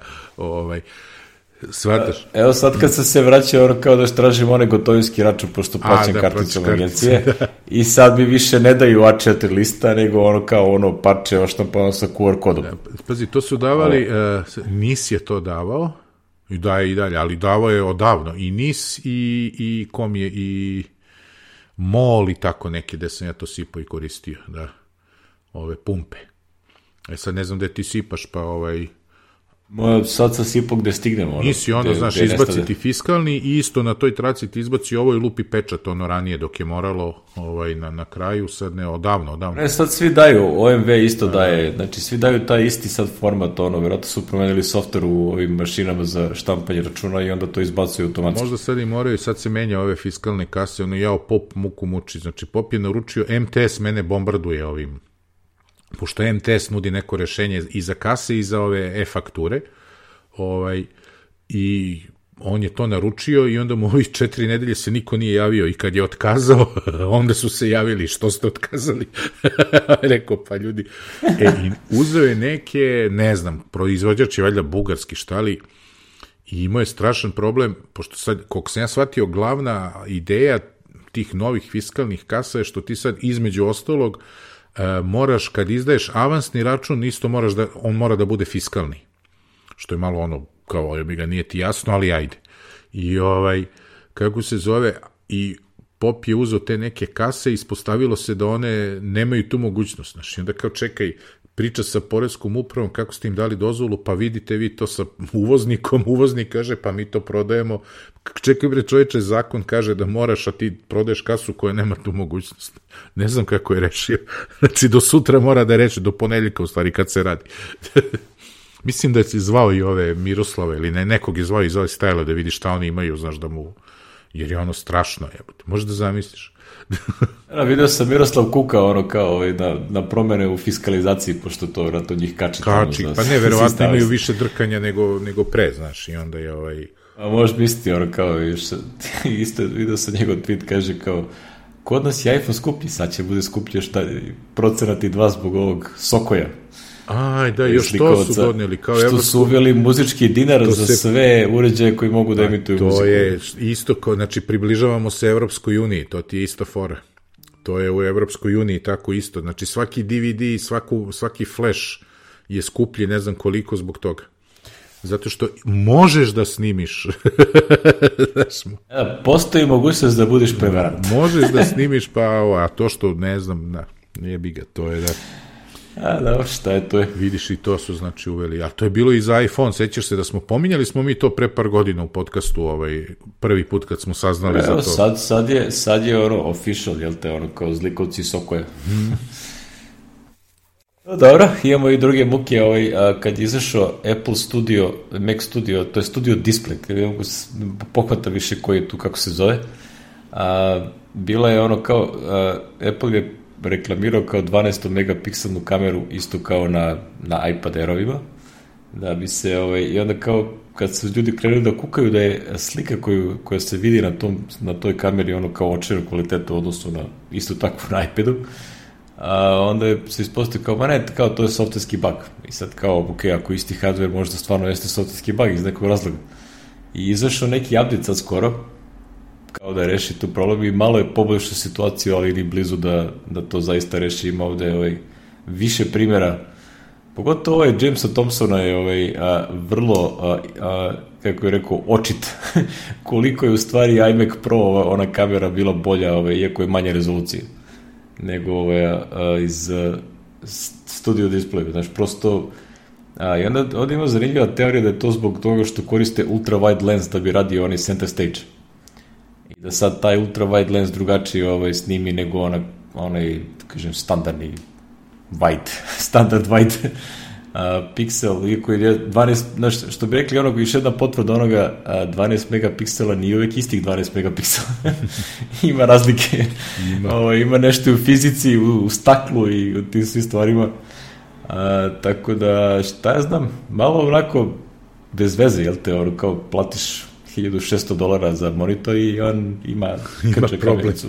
shvataš? Evo sad kad sam se vraćao, kao da tražim onaj gotovinski račun, pošto plaćam karticom agencije, i sad mi više ne daju A4 lista, nego parče oštampano sa QR kodom. Pazi, to su davali, NIS je to davao, i daje i dalje, ali davao je odavno, i NIS, i kom je, i MOL i tako neke, gde sam ja to sipao i koristio, da, ove pumpe. Sad ne znam gde ti sipaš, pa sad sam sipao gde stignemo. Nisi znaš, izbaciti fiskalni i isto na toj traci ti izbaci ovo i lupi pečat, ranije dok je moralo na kraju, sad ne, odavno. Sad svi daju, OMV isto daje, znači svi daju taj isti sad format, vjerojatno su promenili softver u ovim mašinama za štampanje računa i onda to izbacuju automatski. Možda sad i moraju, sad se menja ove fiskalne kase, POP muku muči, znači POP je naručio, MTS mene bombarduje ovim, pošto MTS nudi neko rešenje i za kase i za ove e-fakture, i on je to naručio i onda mu ovih 4 nedelje se niko nije javio i kad je otkazao, onda su se javili, što ste otkazali? Rekao, pa ljudi, i uzeo je neke, ne znam, proizvođač je valjda bugarski, šta li, i imao je strašan problem, pošto sad, koliko sam ja shvatio, glavna ideja tih novih fiskalnih kasa je što ti sad između ostalog moraš, kad izdaješ avansni račun, isto on mora da bude fiskalni. Što je malo kao nije ti jasno, ali ajde. I kako se zove, i POP je uzeo te neke kase i ispostavilo se da one nemaju tu mogućnost. Znači, onda kao čekaj, priča sa poreskom upravom, kako ste im dali dozvolu, pa vidite vi to sa uvoznikom, uvoznik kaže, pa mi to prodajemo. Čekaj bre čoveče, zakon kaže da moraš, a ti prodaješ kasu koja nema tu mogućnost. Ne znam kako je rešio. Znači, do sutra mora da reši, do ponedeljka u stvari, kad se radi. Mislim da je zvao i ove Miroslava ili nekog je zvao iz ove stajla da vidi šta oni imaju, znaš da mu, jer je strašno, možeš da zamisliš. Vidio sam Miroslav kuka kao na promene u fiskalizaciji, pošto to vjerojatno njih kači. Pa ne, verovatno imaju više drkanja nego pre, znaš, i onda je A možeš misliti, kao, isto vidio sam njegov tweet, kaže kao, kod nas je iPhone skuplji, sad će bude skuplji još procenat i 2 zbog ovog Sokoja. Aj, da, još to su doneli. Što su uveli muzički dinar za sve uređaje koji mogu da emituju muziku. To je isto, znači približavamo se Evropskoj uniji, to ti je isto fora. To je u Evropskoj uniji tako isto. Znači svaki DVD, svaki flash je skuplji, ne znam koliko zbog toga. Zato što možeš da snimiš. Postoji mogućnost da budeš prevarant. Možeš da snimiš, a to što ne znam, nije biga, to je da... Da, šta je to? Vidiš, i to su znači uveli. A to je bilo i za iPhone, sećaš se da smo pominjali smo mi to pre par godina u podcastu, prvi put kad smo saznali za to. Sad je official, jel te, kao zlikovci Sokoja. Dobro, imamo i druge muke, kad je izašao Apple Studio, Mac Studio, to je Studio Display, kad ne mogu pohvata više koji je tu, kako se zove, bila je ono kao, Apple je reklamirao kao 12 megapikselnu kameru, isto kao na iPad Airovima, da bi se, i onda kao, kad su ljudi krenuli da kukaju da je slika koja se vidi na toj kameri ono kao očeru kvalitetu u odnosu na isto tako na iPadu, onda se ispostavio kao, kao to je softverski bug. I sad kao, ok, ako isti hardware možda stvarno jeste softverski bug iz nekog razloga. I izašao neki update sad skoro, kao da reši tu problem i malo je poboljšao situaciju, ali ni blizu da to zaista reši. Ima ovde više primjera. Pogotovo Jamesa Thompsona je vrlo, kako je rekao, očit koliko je u stvari iMac Pro, ona kamera bila bolja, iako je manje rezolucije nego iz Studio Display. Znači, prosto, i onda ovdje ima zanimljiva teorija da je to zbog toga što koriste ultra wide lens da bi radio onaj center stage. I da sad taj ultra wide lens drugačije snimi nego onaj, da kažem, standardni standard wide piksel, iako je 12, što bi rekli još jedna potvrda onoga, 12 megapiksela nije uvek istih 12 megapiksela. Ima razlike. Ima nešto u fizici, u staklu i u tim svim stvarima. Tako da, šta ja znam, malo onako bez veze, jel te, kao platiš $1,600 za monitor i on ima krđa kamericu.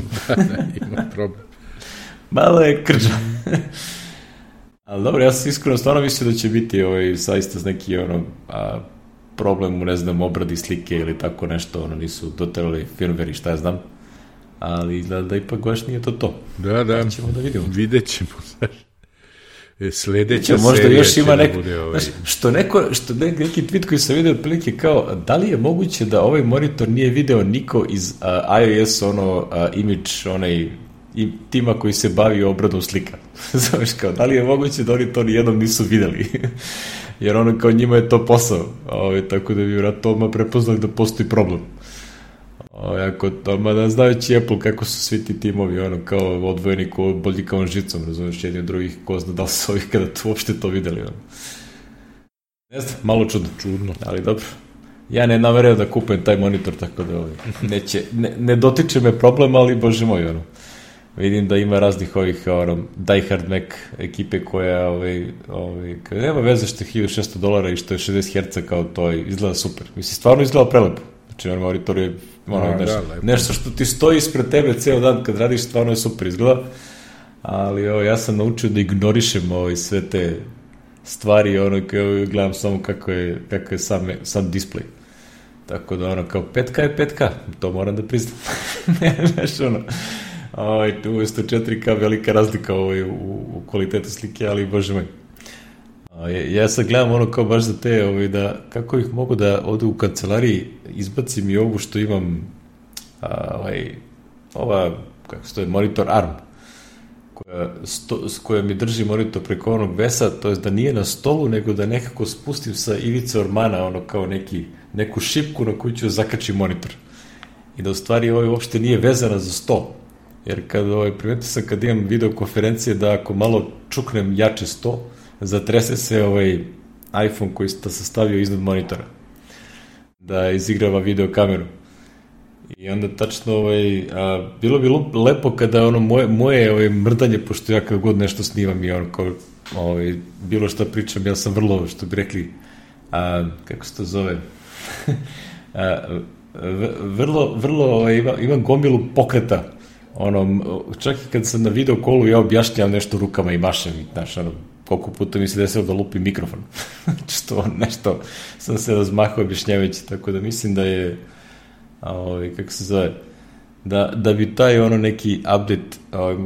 Ima problem. Malo je krđa. Ali dobro, ja sam iskreno stvarno mislio da će biti saista neki problem u, ne znam, obradi slike ili tako nešto, nisu doterali firmware i šta ja znam, ali da ipak baš nije to. Da. Ćemo da vidimo. Vidjet ćemo, znaš. Sledeća možda serija još ima će da bude što neki tweet koji sam vidio otprilike kao, da li je moguće da ovaj monitor nije video niko iz iOS image i tima koji se bavi obradom slika. Znaš, kao, da li je moguće da oni to nijednom nisu videli? Jer kao njima je to posao. Tako da bi vjerojatno odmah prepoznali da postoji problem. Da znajući Apple kako su svi ti timovi kao odvojeni ko bolji kao žicom, razumiješ, jedni od drugih, ko zna da li su ovih kada uopšte to videli. Ne znam, malo čudno, ali dobro. Ja ne namerujem da kupujem taj monitor, tako da ne dotiče me problem, ali bože moj, vidim da ima raznih ovih diehard Mac ekipe koja nema veze što je $1,600 i što je 60 Hz, kao to izgleda super. Mislim, stvarno izgleda prelepo. Znači, monitor je nešto što ti stoji ispred tebe ceo dan kad radiš, stvarno je super izgleda. Ali ja sam naučio da ignorišem sve te stvari, gledam samo kako je sam display. Tako da kao 5K je 5K, to moram da priznam. Znaš, umesto 4K velika razlika u kvalitetu slike, ali bože moj. Ja sad gledam kao baš za te, da kako ih mogu da ovde u kancelariji izbacim i ovu što imam, kako se to je, monitor ARM, koja mi drži monitor preko onog vesa, to je da nije na stolu, nego da nekako spustim sa ivice ormana, kao neku šipku na koju ću zakačim monitor. I da u stvari uopšte nije vezana za sto. Jer primetio sam kad imam videokonferencije da ako malo čuknem jače sto, zatrese se iPhone koji sam stavio iznad monitora da izigrava videokameru. I onda tačno bilo bi lepo kada moje mrdanje, pošto ja kad god nešto snimam i bilo šta pričam, ja sam vrlo, što bi rekli, kako se to zove, vrlo imam gomilu pokreta. Čak i kad sam na video kolu, ja objašnjam nešto rukama i mašem, znaš, koliko puta mi se desilo da lupim mikrofon. Što nešto sam se razmahao objašnjavajući, tako da mislim da je, kako se zove, da bi taj neki update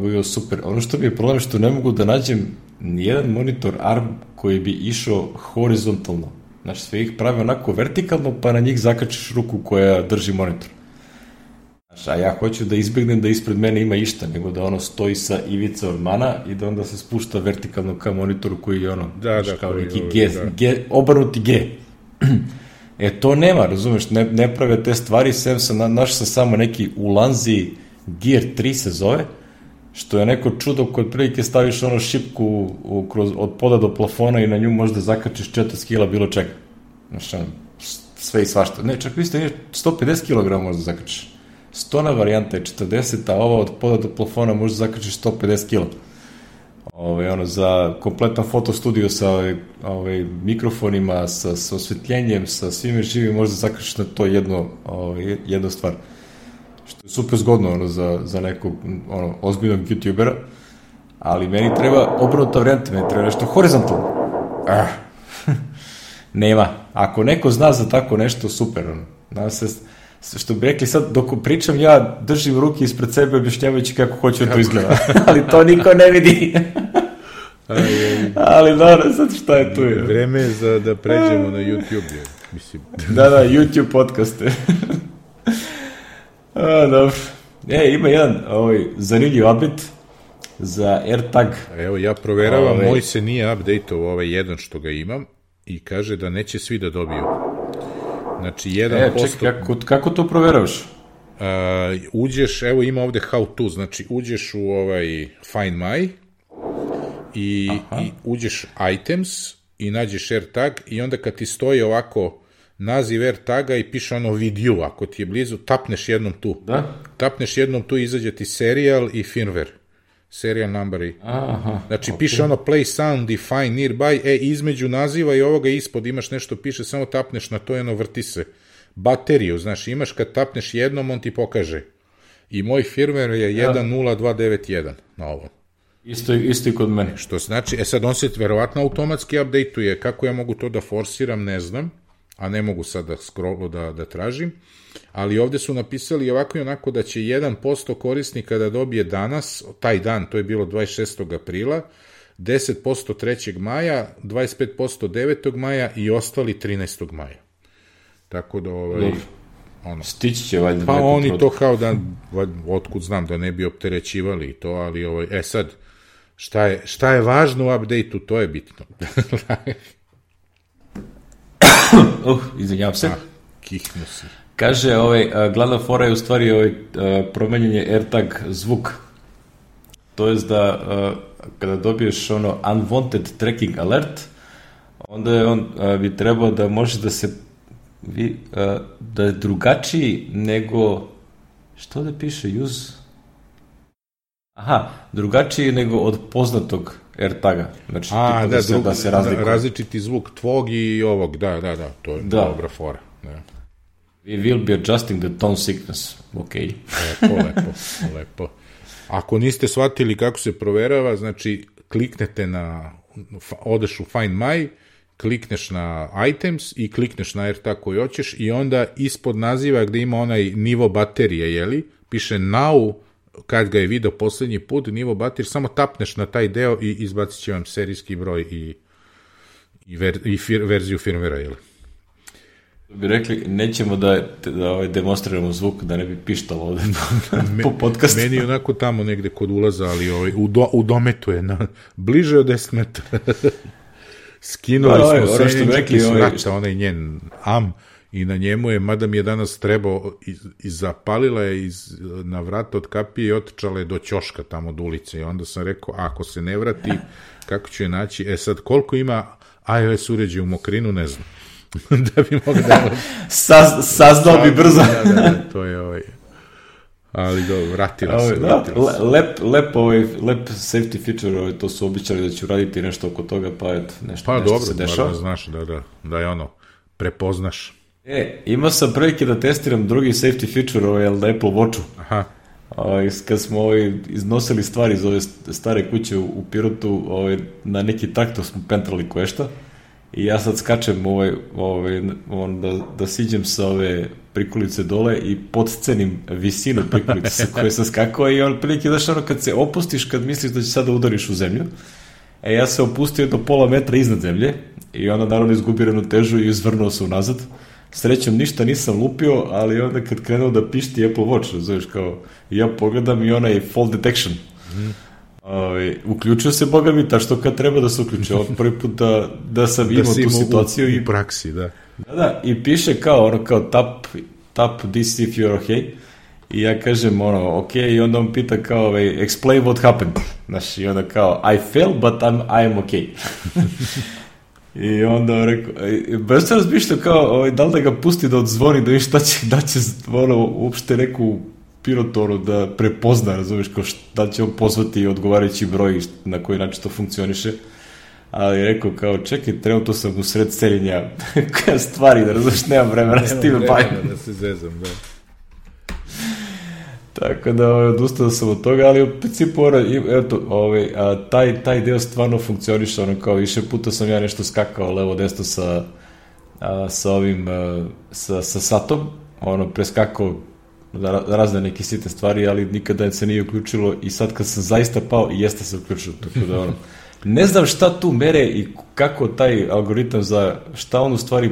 bio super. Ono što mi je problem, što ne mogu da nađem nijedan monitor ARM koji bi išao horizontalno. Znači, sve ih pravi onako vertikalno, pa na njih zakačiš ruku koja drži monitor. A ja hoću da izbjegnem da ispred mene ima išta, nego da stoji sa ivice ormana i da onda se spušta vertikalno ka monitoru koji je kao neki obrnuti G. To nema, razumeš, ne prave te stvari, našao sam samo neki u Lanzi Gear 3 se zove, što je neko čudo kod prilike staviš ono šipku od poda do plafona i na nju možda zakačiš 40 kila bilo čega. Znači, sve i svašta. Ne, čak vi ste 150 kg možda zakačiš. 100 varijanta je 40, a ova od poda do plafona možda zakačiš 150 kila. Za kompletan fotostudio sa mikrofonima, sa osvetljenjem, sa svime živim, možda zakačiš na to jednu stvar. Što je super zgodno za nekog ozbiljnog youtubera, ali meni treba obrnuta varijanta, meni treba nešto horizontalno. Nema. Ako neko zna za tako nešto, super. Što bi rekli sad, dok pričam, ja držim ruke ispred sebe objašnjavajući kako hoću da to izgleda. Ali to niko ne vidi. Ali dobro, sad šta je tu? Vreme je da pređemo na YouTube. Mislim. Da, YouTube podcaste. Dobro. Ima jedan zanimljiv update za AirTag. Evo, ja proveravam, moj se nije update-ovao ovaj jedan što ga imam i kaže da neće svi da dobiju. Znači, 1%... Čekaj, kako to proveravaš? Uđeš, evo ima ovde how to, znači uđeš u Find My i uđeš items i nađeš AirTag i onda kad ti stoji ovako naziv AirTaga i piše video, ako ti je blizu, tapneš jednom tu. Da? Tapneš jednom tu i izađe ti serial i firmware. Serial number i... Znači, piše play sound i find nearby, između naziva i ovoga ispod imaš nešto, piše, samo tapneš na to i vrti se. Bateriju, znaš, imaš kad tapneš jednom, on ti pokaže. I moj firmware je 1.0291 na ovom. Isto i kod mene. Što znači, sad on se verovatno automatski update-uje, kako ja mogu to da forsiram, ne znam, a ne mogu sad da tražim, ali ovde su napisali ovako i onako da će 1% korisnika da dobije danas, taj dan, to je bilo 26. aprila, 10% 3. maja, 25% 9. maja i ostali 13. maja. Tako da stići će valjda. Pa oni to kao da, otkud znam, da ne bi opterećivali to, ali sad, šta je važno u update-u, to je bitno. Izvinjavam se. Kihnu si. Kaže, glavna fora je u stvari promenjenje AirTag zvuk. To je da kada dobiješ unwanted tracking alert, onda je bi trebao da može da se da je drugačiji nego što da piše use? Drugačiji nego od poznatog AirTaga. Znači, da se razlikuje. Različiti zvuk tvog i ovog, da, to je dobra fora. Da. We will be adjusting the tone sickness. Ok. Lepo. Ako niste shvatili kako se proverava, znači kliknete odeš u Find My, klikneš na items i klikneš na AirTag koji hoćeš i onda ispod naziva gde ima onaj nivo baterije, piše now, kad ga je video poslednji put, nivo baterije, samo tapneš na taj deo i izbacit će vam serijski broj i verziju firmwarea, bi rekli, nećemo da demonstriramo zvuk, da ne bi pištalo ovde po podcastu. Meni je onako tamo negde kod ulaza, ali u dometu je, bliže od 10 metara. Skinuli smo senjenički s vrata, onaj njen i na njemu je, mada mi je danas trebao, zapalila je na vrata od kapije i otičala je do ćoška tamo od ulice i onda sam rekao, ako se ne vrati, kako ću je naći? Sad, koliko ima iOS uređaj u Mokrinu, ne znam. Da bi mogu da... Saznao bi brzo. Da, to je ali dobro, vratila se. Lep safety feature, to su običali da ću raditi nešto oko toga, pa nešto se dešava. Pa dobro, znaš da je prepoznaš. Imao sam prilike da testiram drugi safety feature na Apple Watchu. Aha. Kad smo iznosili stvari iz ove stare kuće u Pirotu, na neki traktor smo pentrali koješta i ja sad skačem da siđem sa ove prikolice dole i podcenim visinu prikolice sa koje sam skakao i prilike daš kad se opustiš, kad misliš da će sada udariš u zemlju, ja se opustio do pola metra iznad zemlje i onda naravno izgubio ravnotežu i izvrnuo se unazad. Srećom ništa nisam lupio, ali onda kad krenuo da pišti Apple Watch, znaš, kao, ja pogledam i onaj fall detection. Uključio se, boga mi, što kad treba da se uključi. Prvi put da sam imao tu situaciju. U praksi, da. Da, i piše kao tap this if you're okay. I ja kažem, ok, i onda on pita kao, explain what happened. Znaš, i onda kao, I fell, but I'm ok. I onda rekao, baš sam razmišljao kao, da li da ga pusti da odzvoni, da viš da će uopšte neku pilotu da prepozna, razumiješ, kao da će on pozvati odgovarajući broj na koji način to funkcioniše. Ali rekao kao, čekaj, trenutno sam u sred seljenja stvari, da razumiješ, nemam vremena s time bavim. Da se zezam, da. Tako da odustao sam od toga, ali u principu taj deo stvarno funkcioniše, kao više puta sam ja nešto skakao levo desno sa satom, preskakao razne neke sitne stvari, ali nikada se nije uključilo i sad kad sam zaista pao, jeste se uključilo, tako da ne znam šta tu mere i kako taj algoritam za šta on u stvari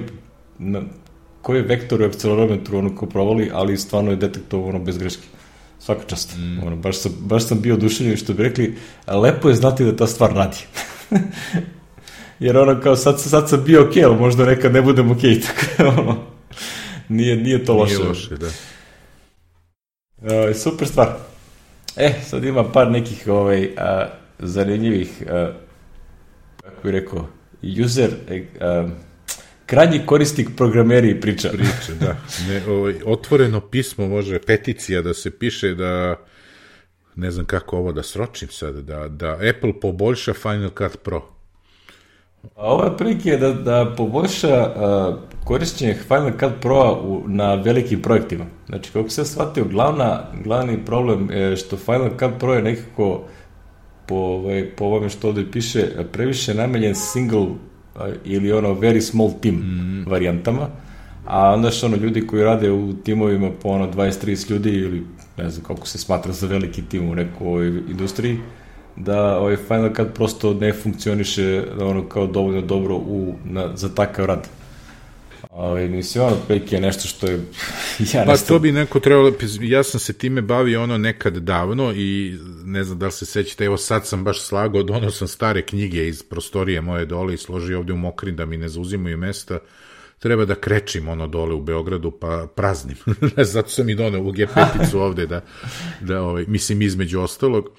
koji je vektor u akcelerometru ko provali, ali stvarno je detektovano bez greške. Svaka čast. Baš sam bio oduševljen, što bi rekli, lepo je znati da ta stvar radi. Jer kao sad sam bio ok, ali možda nekad ne budem ok, tako nije to loše. Nije loše, da. Super stvar. Sad ima par nekih zanimljivih, kako bih rekao, user, krajnji korisnik programeri i priča. Da. Otvoreno pismo može, peticija da se piše da, ne znam kako ovo da sročim sad, da Apple poboljša Final Cut Pro. Ovo je prilike da poboljša korišćenje Final Cut Pro na velikim projektima. Znači, kako se shvatio, glavni problem je što Final Cut Pro je nekako po ovome što ovdje piše previše namenjen single ili very small team varijantama, a onda što ljudi koji rade u timovima po 20-30 ljudi ili ne znam kako se smatra za veliki tim u nekoj industriji, da Final Cut prosto ne funkcioniše kao dovoljno dobro za takav rad. Mislim, otprilike je nešto što je... to bi neko trebalo... Ja sam se time bavio nekad davno i ne znam da li se sećate, evo sad sam baš slagao, dono sam stare knjige iz prostorije moje dole i složio ovde u Mokrin da mi ne zauzimaju mesta. Treba da krečim dole u Beogradu, pa praznim. Zato sam i doneo u G5-icu ovde mislim između ostalog.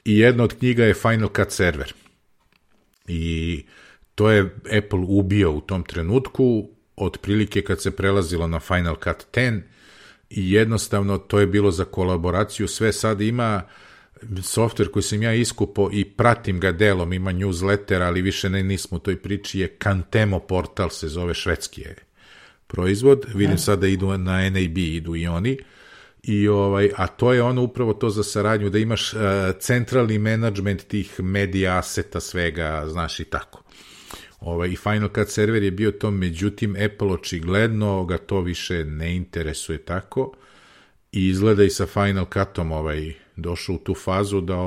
I jedna od knjiga je Final Cut Server. I to je Apple ubio u tom trenutku, otprilike kad se prelazilo na Final Cut 10 i jednostavno to je bilo za kolaboraciju. Sve sad ima softver koji sam ja iskupao i pratim ga delom, ima newsletter, ali više nismo u toj priči, je Cantemo portal, se zove, švedski je proizvod. Vidim sad da idu na NAB, idu i oni. A to je upravo to za saradnju, da imaš centralni menadžment tih medija, aseta, svega, znaš, i tako. I Final Cut Server je bio to, međutim Apple očigledno ga to više ne interesuje tako i izgleda i sa Final Cutom došao u tu fazu da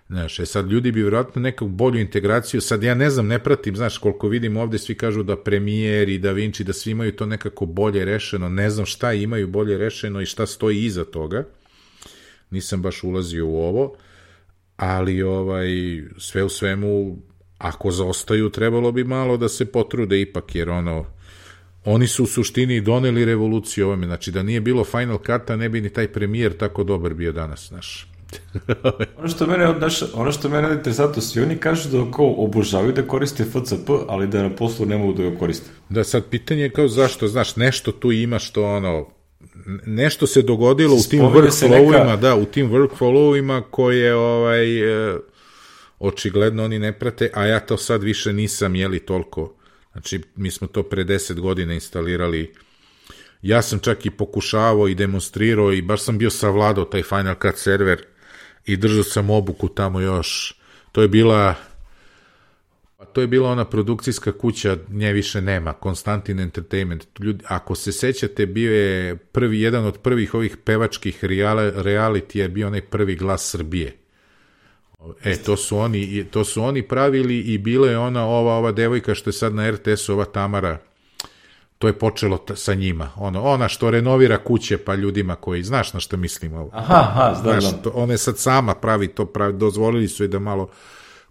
znaš, sad ljudi bi vjerojatno neku bolju integraciju, sad ja ne znam, ne pratim, znaš, koliko vidim ovde svi kažu da Premiere i Da Vinci, da svi imaju to nekako bolje rešeno, ne znam šta imaju bolje rešeno i šta stoji iza toga, nisam baš ulazio u ovo, ali sve u svemu, ako zaostaju, trebalo bi malo da se potrude ipak, jer oni su u suštini doneli revoluciju ovome, znači da nije bilo Final Cut-a, ne bi ni taj Premiere tako dobar bio danas, znaš. Ono što mene je interesantno, svi oni kažu da obožavaju da koriste FCP, ali da na poslu ne mogu da ga koriste. Da, sad pitanje je kao zašto, znaš, nešto tu ima što nešto se dogodilo u tim workflowima, u tim workflowima koje očigledno oni ne prate, a ja to sad više nisam toliko. Znači, mi smo to pre 10 godina instalirali. Ja sam čak i pokušavao i demonstrirao i baš sam bio savladao taj Final Cut server i držao sam obuku tamo još. To je bila ona produkcijska kuća, nje više nema, Konstantin Entertainment. Ako se sećate, bio je jedan od prvih ovih pevačkih reality je bio onaj Prvi glas Srbije. To su oni pravili i bila je ova devojka što je sad na RTS-u, ova Tamara, to je počelo sa njima. Ona što renovira kuće pa ljudima koji, znaš na što mislim ovo. Znaš, ona je sad sama pravi, dozvolili su je da malo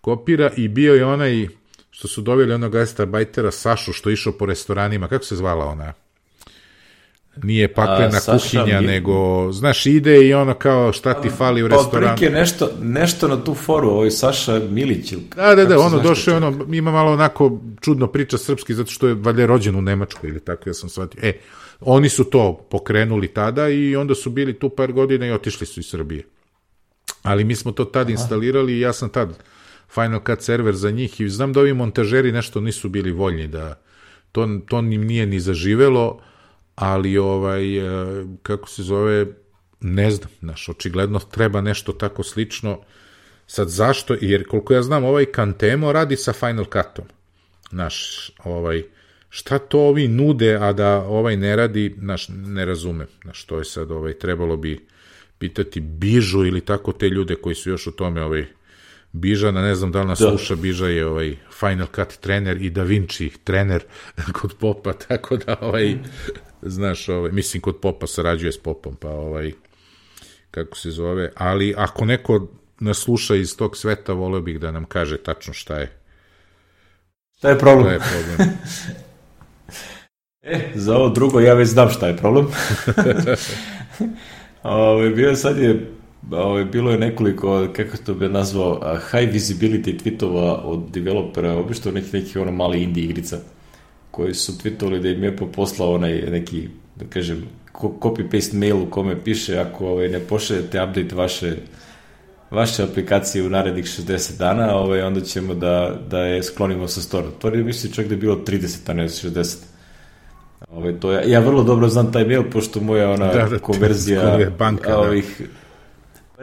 kopira i bio je onaj što su doveli onog gastarbajtera Sašu što išao po restoranima, kako se zvala ona? Nije paklena kuhinja, nego, znaš, ide i ono kao šta ti fali u restoranu. Pa nešto na tu foru, Saša Milić. Da, ono došao, ima malo onako čudno priča srpski, zato što je valjda rođen u Nemačkoj ili tako, ja sam shvatio. Oni su to pokrenuli tada i onda su bili tu par godina i otišli su iz Srbije. Ali mi smo to tad instalirali i ja sam tad Final Cut server za njih i znam da ovi montažeri nešto nisu bili voljni, da to im nije ni zaživelo, ali kako se zove, ne znam, očigledno treba nešto tako slično. Sad zašto? Jer koliko ja znam, Cantemo radi sa Final Cutom. Šta to ovi nude, a da ne radi, ne razumem. To je sad, trebalo bi pitati Bižu ili tako te ljude koji su još u tome, Bižana, ne znam da li nas sluša, Biža je Final Cut trener i Da Vinci trener kod Popa, tako da znaš, mislim kod Popa sarađuje s Popom, pa kako se zove, ali ako neko nas sluša iz tog sveta, voleo bih da nam kaže tačno šta je. Šta je problem? Za ovo drugo ja već znam šta je problem. Bilo je nekoliko, kako to bi nazvao, high visibility tweetova od developera, obično nekih mali indie igrica, koji su tweetovali da im je poslao neki, da kažem, copy-paste mail u kome piše ako ne pošaljete update vaše aplikacije u narednih 60 dana, onda ćemo da je sklonimo sa store. To je mislim čak da je bilo 30, a ne 60. Ja vrlo dobro znam taj mail, pošto moja konverzija ovih...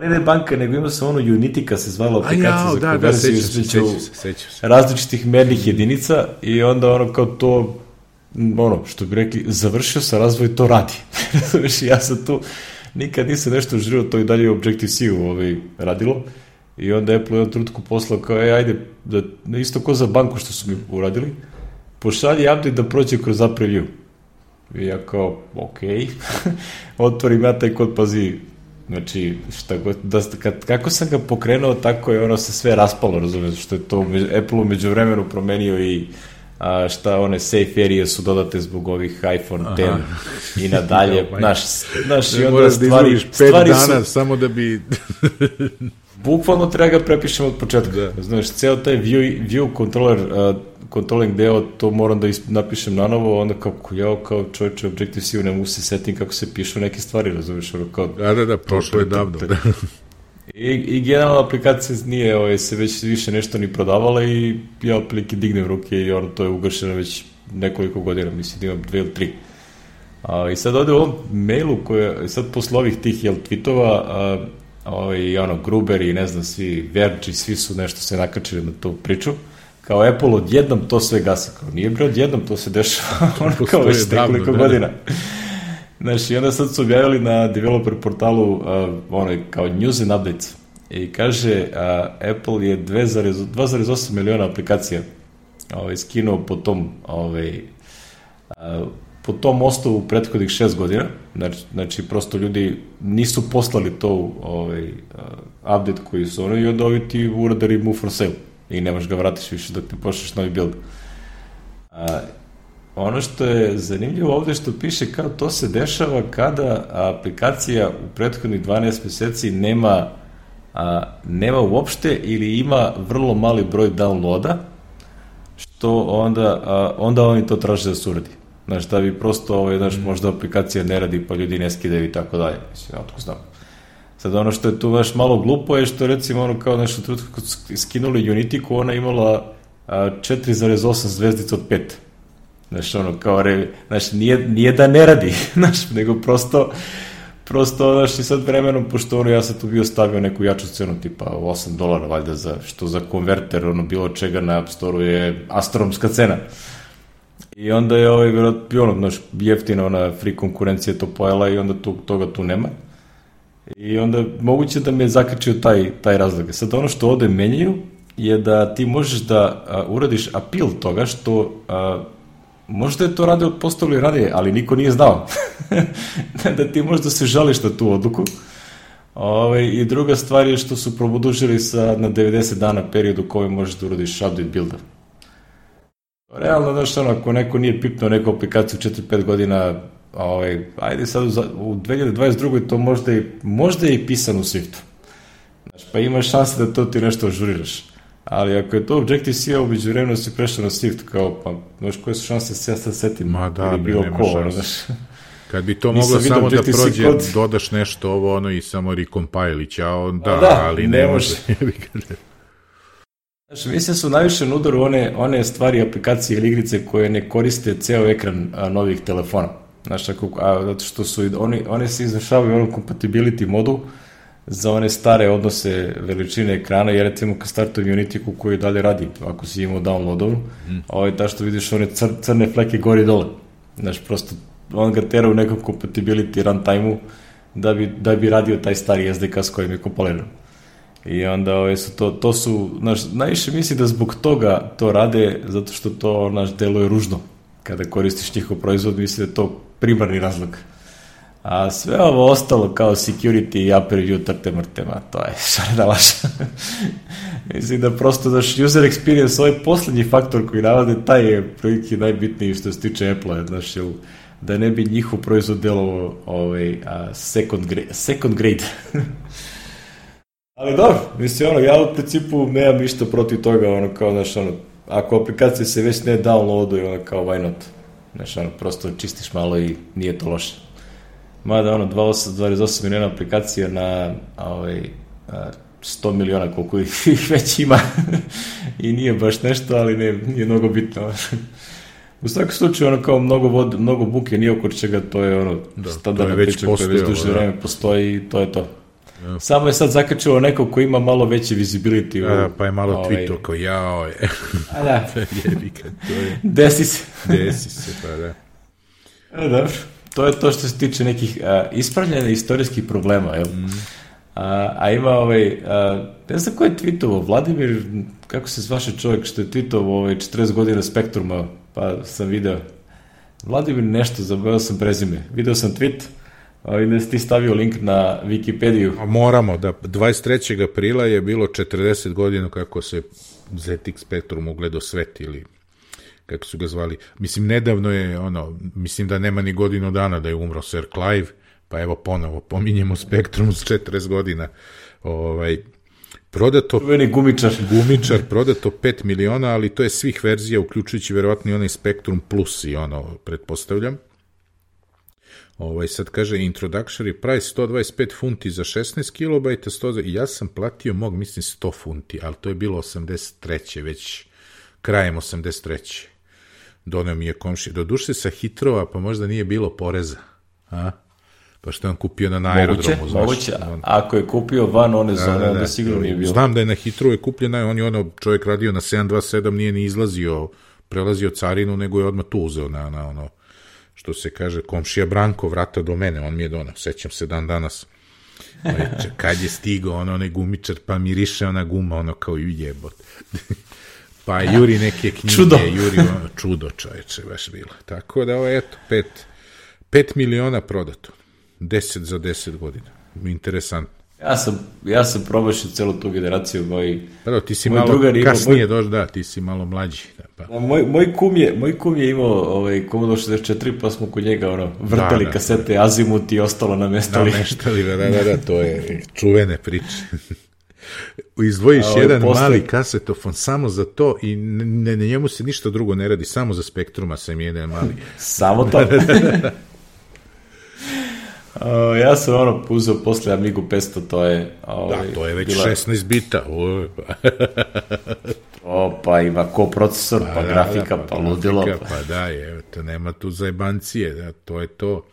Ne banka, nego imao sam Unitika se zvala aplikacija za konverziju između različitih mernih jedinica i onda kao to, što bi rekli, završio sa razvoj, to radi. Ja sam tu, nikad nisam nešto želio, to i dalje u Objective-C-u radilo i onda Apple u jednom trenutku poslao kao, ajde, isto ko za banku što su mi uradili, pošalji update da prođe kroz app review. I ja kao, okej, otvorim ja taj kod, pazi, znači, kako sam ga pokrenuo, tako je se sve raspalo, razumiješ, što je to Apple umeđu vremenu promenio i šta safe area su dodate zbog ovih iPhone 10 i nadalje, znaš, i onda stvari su... 5 dana samo da bi... Bukvalno treba ga prepišemo od početka, znaš, ceo taj view controlling deo, to moram da napišem na novo, onda kao čovječe Objective-C ne mogu se setim kako se pišu neke stvari, razumiješ, kao... Da, prošlo je davno, da. I generalna aplikacija nije se već više nešto ni prodavala i ja otprilike dignem ruke i to je ugašeno već nekoliko godina, mislim da imam 2 ili 3. I sad ovde u ovom mailu, sad posle ovih tih tweetova, Gruber i ne znam, svi Verge, svi su nešto se nakačili na tu priču, kao Apple odjednom to sve gasa, kao nije bre odjednom, to se dešava kao već nekoliko godina. Znaš, i onda sad su objavili na developer portalu kao news and updates i kaže Apple je 2,8 miliona aplikacija skinuo po tom osnovu prethodnih 6 godina, znači prosto ljudi nisu poslali to update koji su i onda ovi ti urade remove for sale i nemaš ga vratiš više dok ne pošliš novi build. Ono što je zanimljivo ovde što piše kao to se dešava kada aplikacija u prethodnih 12 meseci nema uopšte ili ima vrlo mali broj downloada, što onda oni to traže da se uradi. Znaš, da bi prosto, možda aplikacija ne radi pa ljudi ne skidaju i tako dalje. Mislim, otko znam. Sad ono što je tu malo glupo je što recimo kao nešto trenutku kad skinuli Unitiku, ona imala 4,8 zvezdica od 5. Znaš, znaš, nije da ne radi, znaš, nego prosto, znaš, i sad vremenom, pošto ja sam tu bio stavio neku jaču cenu, tipa $8, valjda, što za konverter, bilo čega na App Store-u je astronomska cena. I onda je jeftina ona free konkurencija to pojela i onda toga tu nema. I onda moguće da me je zakačio taj razlog. Sad ono što ovde menjaju je da ti možeš da uradiš appeal toga što možda je to postavili ranije, ali niko nije znao. Da ti možda se žališ na tu odluku. I druga stvar je što su produžili na 90 dana period u kojem možeš da uradiš update builda. Realno, znaš, ako neko nije pipnuo neku aplikaciju 4-5 godina, ajde sad u 2022. to možda je i pisano u Swiftu. Znaš, pa imaš šanse da to ti nešto ažuriraš. Ali ako je to Objective-C, umeđu vremenu si prešao na Swift, kao, pa, znaš, koje su šanse se ja sad setim? Ma da, nema šanse. Kad bi to moglo samo da prođe, dodaš nešto ovo, i samo recompile i ćao, ali ne može. Znaš, mislim su najviše na udaru one stvari, aplikacije ili igrice koje ne koriste ceo ekran novih telefona. Znaš, zato što su one se izvršavaju u onom compatibility modu za one stare odnose veličine ekrana, jer recimo kad startujem Unity-ku koji dalje radi, ako si imao downloadovu, ta što vidiš one crne fleke gori dole. Znaš, prosto on ga tera u nekom compatibility runtime-u da bi radio taj stari SDK s kojim je kompiliran. I onda to su, najviše misli da zbog toga to rade, zato što to deluje ružno. Kada koristiš njihov proizvod, misli da je to primarni razlog. A sve ovo ostalo kao security i app review trte mrtema, to je šarena laša. Mislim da prosto user experience, ovaj poslednji faktor koji navode, taj je prilike najbitniji što se tiče Apple-a, da ne bi njihov proizvod delovao second grade. Ali dobro, mislim, ja u principu nemam ništa protiv toga, kao, ako aplikacije se već ne downloaduju, kao, why not? Prosto čistiš malo i nije to loše. Mada, 28 miliona aplikacija na 100 miliona, koliko ih već ima, i nije baš nešto, ali nije mnogo bitno. U svakom slučaju, kao mnogo buke, nije oko čega, to je standardna priča koja već duže vreme postoji i to je to. Ja. Samo je sad zakačilo neko ko ima malo veće visibility. Pa je malo tweetao kao jao je. A da. Desi se, pa da. Dobro. To je to što se tiče nekih ispravljanja istorijskih problema, jel? A ima ne znam ko je tweetovao, Vladimir, kako se zvaše čovjek što je tweetovao 40 godina Spektruma, pa sam video. Vladimir nešto, zaboravio sam prezime. Video sam tweet, da si ti stavio link na Wikipediju. Moramo, da 23. aprila je bilo 40 godina kako se ZX Spectrum ugledao svet, ili kako su ga zvali. Mislim, nedavno je, mislim da nema ni godinu dana da je umro Sir Clive, pa evo ponovo, pominjemo Spektrum s 40 godina. Prodato... Gumičar, prodato 5 miliona, ali to je svih verzija, uključujući verovatno i onaj Spektrum Plus i pretpostavljam. Sad kaže, introductory price 125 funti za 16 kilobajta, ja sam platio mislim 100 funti, ali to je bilo 83. već krajem 83. Doneo mi je komšija. Doduše sa Hitrova, pa možda nije bilo poreza. Pa što je on kupio na aerodromu. Moguće, ako je kupio van one zone, onda sigurno nije bilo. Znam da je na Hitrovu je kupljena, on je čovjek radio na 727, nije ni prelazio carinu, nego je odmah tu uzeo na što se kaže, komšija Branko vrata do mene, on mi je donao, sećam se dan danas. Kad je stigao onaj gumičar, pa miriše ona guma, kao jebot. Pa juri neke knjige, čudo čoveče, baš bilo. Tako da, eto, 5 miliona prodato, 10 za 10 godina, interesantno. Ja sam probašio celu tu generaciju, ti si malo kasnije došao, ti si malo mlađi. Moj kum je imao Commodore 64, pa smo kod njega vrtali kasete, Azimut i ostalo nameštali. Da, to je čuvene priče. Izdvojiš jedan mali kasetofon samo za to i na njemu se ništa drugo ne radi, samo za Spektruma sam jedan mali. Samo to? Ja sam uzeo posle Amigu 500, to je... to je već 16 bita. Pa ima koprocesor, pa grafika, pa ludilo. Pa da, to nema tu zajebancije, to je to.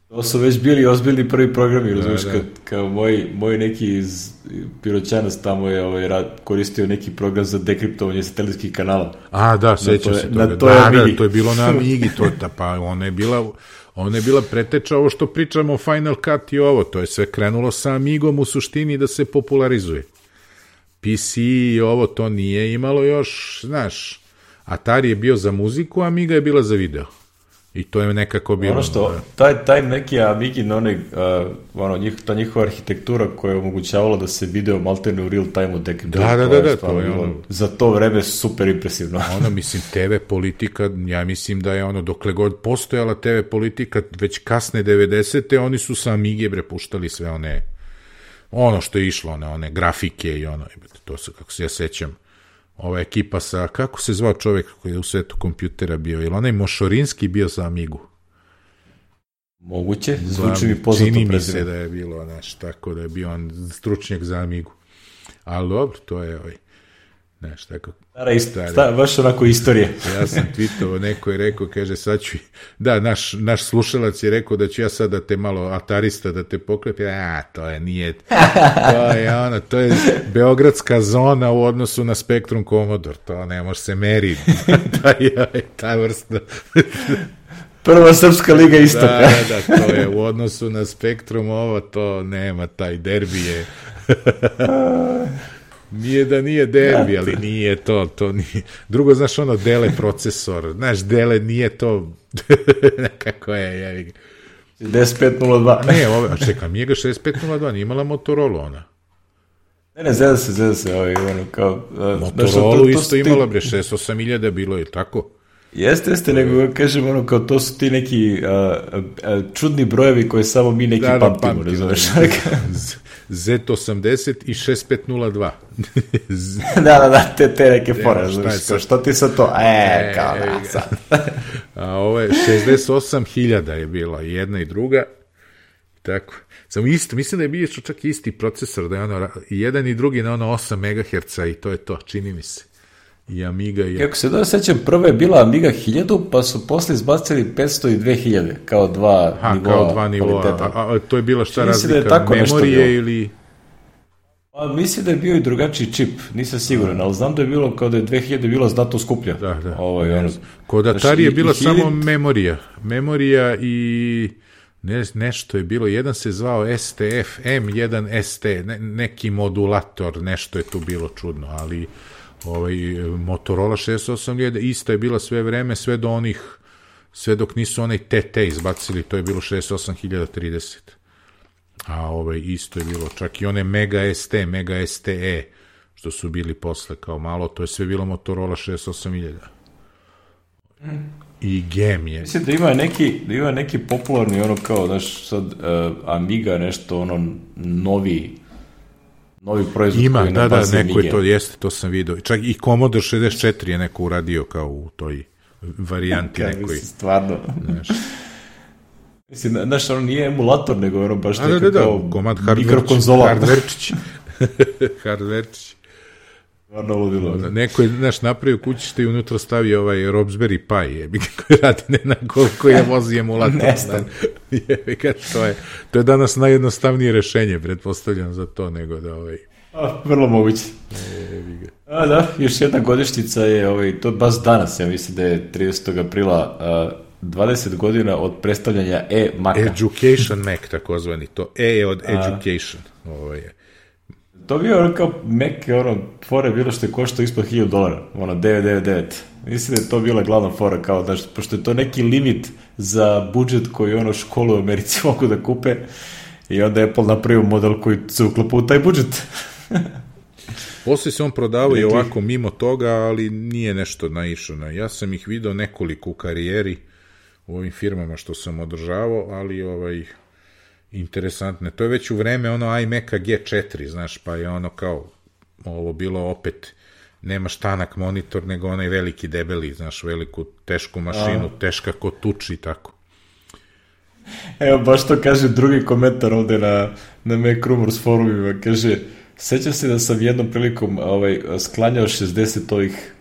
To su već bili ozbiljni prvi programi, razumiješ, kao moj neki iz Piroćanac tamo je koristio neki program za dekriptovanje satelitskih kanala. Da, sećam se toga. To je bilo na Amigi, pa ona je bila preteča ovo što pričamo o Final Cut i ovo, to je sve krenulo sa Amigom u suštini da se popularizuje. PC i ovo to nije imalo još, znaš, Atari je bio za muziku, a Amiga je bila za video. I to je nekako bilo... Ono što, taj neki Amigin, ta njihova arhitektura koja je omogućavala da se video maltene u real time-u Da, to je ono... Za to vreme super impresivno. Mislim, TV politika, ja mislim da je dokle god postojala TV politika, već kasne 90. oni su sa Amige prepuštali sve ono što je išlo, one grafike i to se, kako se ja sećam, ova ekipa sa, kako se zvao čovjek koji je u svetu kompjutera bio, ili onaj Mošorinski bio za Amigu? Moguće, zvuči mi poznato prezime. Čini mi se da je bilo, tako da je bio on stručnjak za Amigu. Ali dobro, to je tako... Baš onako istorije. Ja sam tweetovao, neko je rekao, kaže, sad ću... Da, naš slušalac je rekao da ću ja sad da te malo atarista, da te pokrepi. Nije... To je beogradska zona u odnosu na Spectrum Commodore. To ne može se meriti. Ta vrsta... Prva srpska liga istoka. Da, to je u odnosu na Spectrum, to nema, taj derbi je... Nije da nije derbi, ali nije to nije. Drugo, znaš, Dele procesor, Dele nije to, nekako je. 6502. Ne, čekaj, Amiga 6502, nije imala Motorola ona. Ne, zeda se, kao... Motorola isto imala, 68.000 bilo je, tako? Jeste, nego kažem, kao to su ti neki čudni brojevi koje samo mi neki pamtimo, razumeš? Z80 i 6502. Da, te neke fore, što ti sa to? Kao da, sad. A ovo je 68.000 je bila, jedna i druga. Tako. Samo isto, mislim da je bio čak isti procesor, da je jedan i drugi na 8 MHz i to je to, čini mi se. I Amiga i... Kako se da sećam, prva je bila Amiga 1000, pa su posle izbacili 500 i 2000, kao dva nivoa. A to je bila šta razlika, memorije ili... Mislim da je bio i drugačiji čip, nisam siguran, ali znam da je bilo kao da je 2000 bilo znatno skuplja. Da. Kod Atari je bila samo memorija i nešto je bilo, jedan se zvao STF, M1 ST, neki modulator, nešto je tu bilo čudno, ali Motorola 68.000 isto je bila sve vreme, sve dok nisu onaj TT izbacili, to je bilo 68.030. A isto je bilo, čak i one Mega ST, Mega STE, što su bili posle kao malo, to je sve bilo Motorola 68.000. I Gem je. Mislim da ima neki popularni, kao, znaš, sad Amiga, nešto, novi proizvod. Ima, da, neko je to, jeste, to sam vidio. Čak i Commodore 64 je neko uradio kao u toj varijanti nekoj. Stvarno. Mislim, znaš, nije emulator, nego baš neka kao mikrokonzola. Hardverčić. Stvarno ludilo. Neko je, znaš, napravio kućište i unutra stavio Raspberry Pi, koji radi koliko je vozi emulator. To je danas najjednostavnije rešenje, pretpostavljam za to, nego da vrlo moguće. Da, još jedna godišnjica je, to baš danas, ja mislim da je 30. aprila 20 godina od predstavljanja Maca. Education Mac, takozvani, to E je od Education. To bio kao Mac, fora je bilo što je koštao ispod $1,000, 999. Mislim da je to bila glavna fora, kao da, pošto je to neki limit za budžet koji školu u Americi mogu da kupe, i onda je Apple napravio model koji se uklapa u taj budžet. Poslije se on prodavao i ovako mimo toga, ali nije nešto naišao. Ja sam ih video nekoliko u karijeri u ovim firmama što sam održavao, ali interesantne. To je već u vreme iMac-a G4, znaš, pa je kao ovo bilo opet, nemaš tanak monitor, nego onaj veliki debeli, znaš, veliku tešku mašinu, teška ko tuči i tako. Evo, baš to kaže drugi komentar ovde na Mac Rumors forumima, kaže, sećam se da sam jednom prilikom sklanjao 60 ovih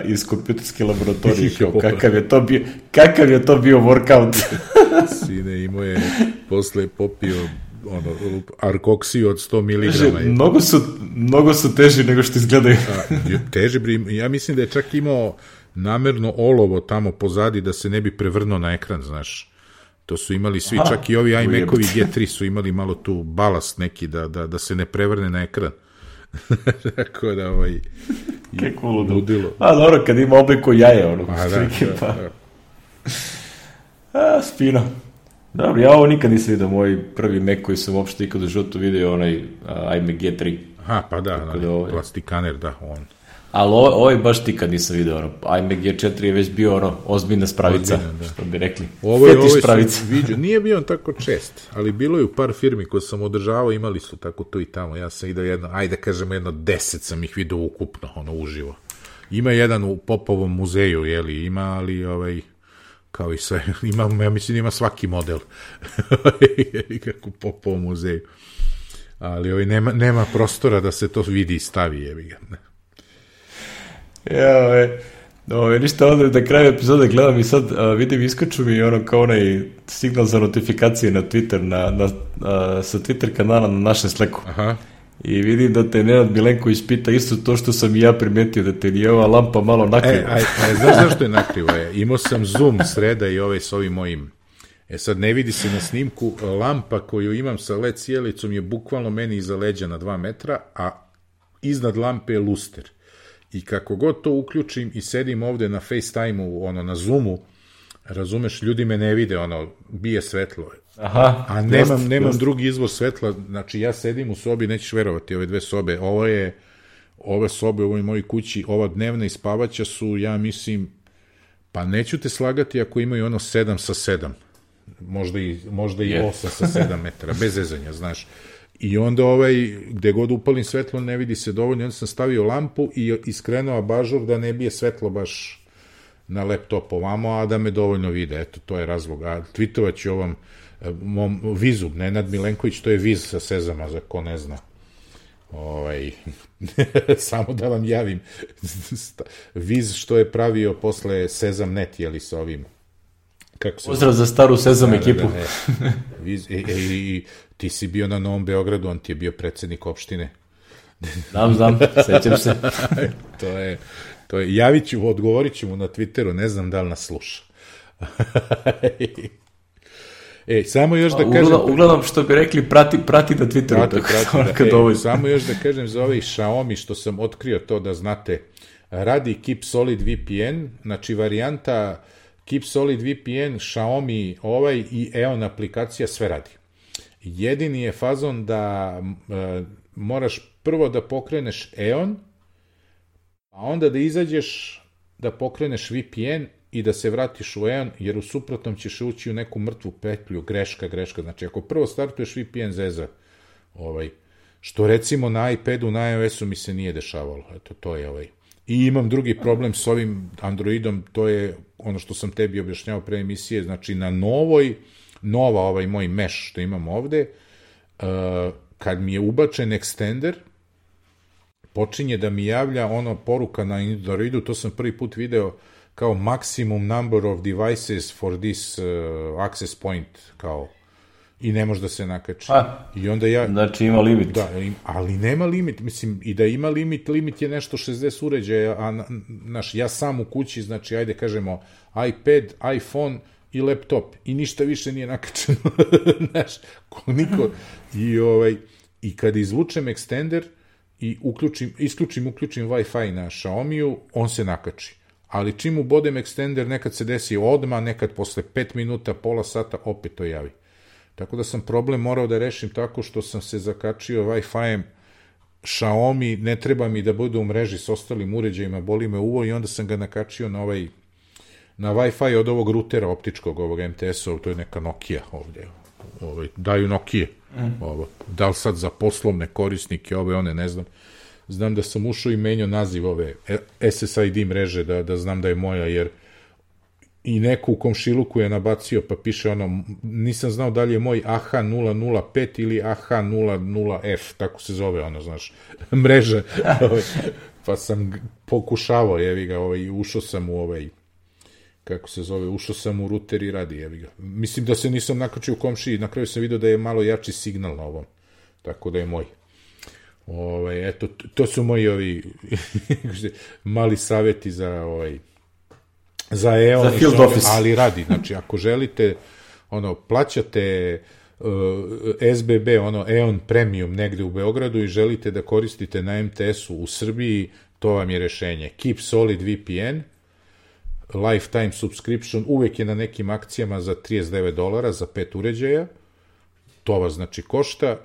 iz kompjuterske laboratorije, kakav je to bio workout. Sine, imao je posle popio arkoksiju od 100 mg. Mnogo su teži nego što izgledaju. Teži, ja mislim da je čak imao namerno olovo tamo pozadi da se ne bi prevrnuo na ekran, znaš. To su imali svi, čak i ovi iMac-ovi G3 su imali malo tu balast neki da se ne prevrne na ekran. Tako da kako ludilo. Dobro, kad ima obliku jaje, da. Spino. Dobro, ja ovo nikad nisam vidio, moj prvi Mac koji sam uopšte ikad u životu vidio, onaj iMac G3. Aha, pa da, plastikaner, da, on. Ali ovo baš nikad nisam vidio, iMac G4 je već bio ozbiljna spravica, što bi rekli. Fetiš spravica. Nije bio on tako čest, ali bilo je u par firmi koje sam održavao, imali su tako tu i tamo. Ja sam vidio jedno 10 sam ih vidio ukupno, uživo. Ima jedan u Popovom muzeju, ima, ali kao i sve, ja mislim ima svaki model kako Popovom muzeju. Ali nema prostora da se to vidi i stavi, jebi ga. Ništa onda da kraju epizode gledam i sad vidim, iskaču mi kao onaj signal za notifikacije na Twitter, sa Twitter kanala na našem Slacku. Aha. I vidim da te Nenad Milenković pita isto to što sam i ja primetio, da te nije ova lampa malo nakriva. Znaš zašto je nakriva? Imao sam zoom sreda i s ovim mojim. Sad ne vidi se na snimku, lampa koju imam sa LED sjelicom je bukvalno meni iza leđa na 2 metra, a iznad lampe je luster. I kako god to uključim i sedim ovde na FaceTime-u, na Zoomu, razumeš, ljudi me ne vide, bije svetlo. Aha, a nemam drugi izvor svetla, znači ja sedim u sobi, nećeš verovati, ove 2 sobe, ove sobe u ovoj mojoj kući, ova dnevna i spavaća su, ja mislim, pa neću te slagati ako imaju 7 sa 7, možda i 8 sa 7 metara, bez zezanja, znaš. I onda gde god upalim svetlo ne vidi se dovoljno, onda sam stavio lampu i iskrenuo abažur da ne bije svetlo baš na laptop ovamo, a da me dovoljno vide, eto, to je razlog. A tweetovat ću ovom mom Vizu, Nenad Milenković, to je Viz sa Sezama, za ko ne zna. Samo da vam javim, Viz što je pravio posle Sezam.net, sa ovim. Pozdrav za staru Sezam ekipu. I ti si bio na Novom Beogradu, on ti je bio predsednik opštine. Znam, sećam se. To je, javit ću, odgovorit ću mu na Twitteru, ne znam da li nas sluša. Samo još da kažem... Uglavnom, što bi rekli, prati na Twitteru. Samo još da kažem za ovaj Xiaomi, što sam otkrio to da znate, radi Keep Solid VPN, znači varijanta Keep Solid VPN, Xiaomi i EON aplikacija sve radi. Jedini je fazon da moraš prvo da pokreneš EON, a onda da izađeš da pokreneš VPN i da se vratiš u EON, jer u suprotnom ćeš ući u neku mrtvu petlju, greška. Znači, ako prvo startuješ VPN zeza, što recimo na iPadu, na iOS-u mi se nije dešavalo. Eto, to je I imam drugi problem s ovim Androidom, to je ono što sam tebi objašnjavao pre emisije, znači na nova moj mesh što imam ovde, kad mi je ubačen extender, počinje da mi javlja poruka na Androidu, to sam prvi put video kao maximum number of devices for this access point, kao, i ne može da se nakači. I onda znači ima limit. Da, ali nema limit, mislim, i da ima limit je nešto 60 uređaja, a ja sam u kući, znači, ajde kažemo, iPad, iPhone i laptop, i ništa više nije nakačeno, znaš, niko, i kad izvučem extender i isključim Wi-Fi na Xiaomiju, on se nakači. Ali čim ubodem extender, nekad se desi odmah, nekad posle 5 minuta, pola sata, opet to javi. Tako da sam problem morao da rešim tako što sam se zakačio Wi-Fi-em Xiaomi, ne treba mi da bude u mreži s ostalim uređajima, boli me uvo, i onda sam ga nakačio na Wi-Fi od ovog rutera optičkog, ovog MTS-ov, to je neka Nokia ovde. Daju Nokia. Da li sad za poslovne korisnike, one, ne znam. Znam da sam ušao i menjao naziv ove SSID mreže, da znam da je moja, jer i neko u komšiluku je nabacio, pa piše nisam znao da li je moj AH005 ili AH00F, tako se zove, znaš, mreža. Pa sam pokušavao, jevi ga, ušao sam u kako se zove, ušao sam u ruter i radi, jevi ga. Mislim da se nisam nakačio u komšiji, na kraju sam vidio da je malo jači signal na ovom, tako da je moj. Eto, to su moji mali savjeti za EON, ali radi, znači ako želite, plaćate SBB, EON Premium negde u Beogradu i želite da koristite na MTS-u u Srbiji, to vam je rešenje. Keep Solid VPN, lifetime subscription, uvek je na nekim akcijama za $39 za 5 uređaja, to vas znači košta,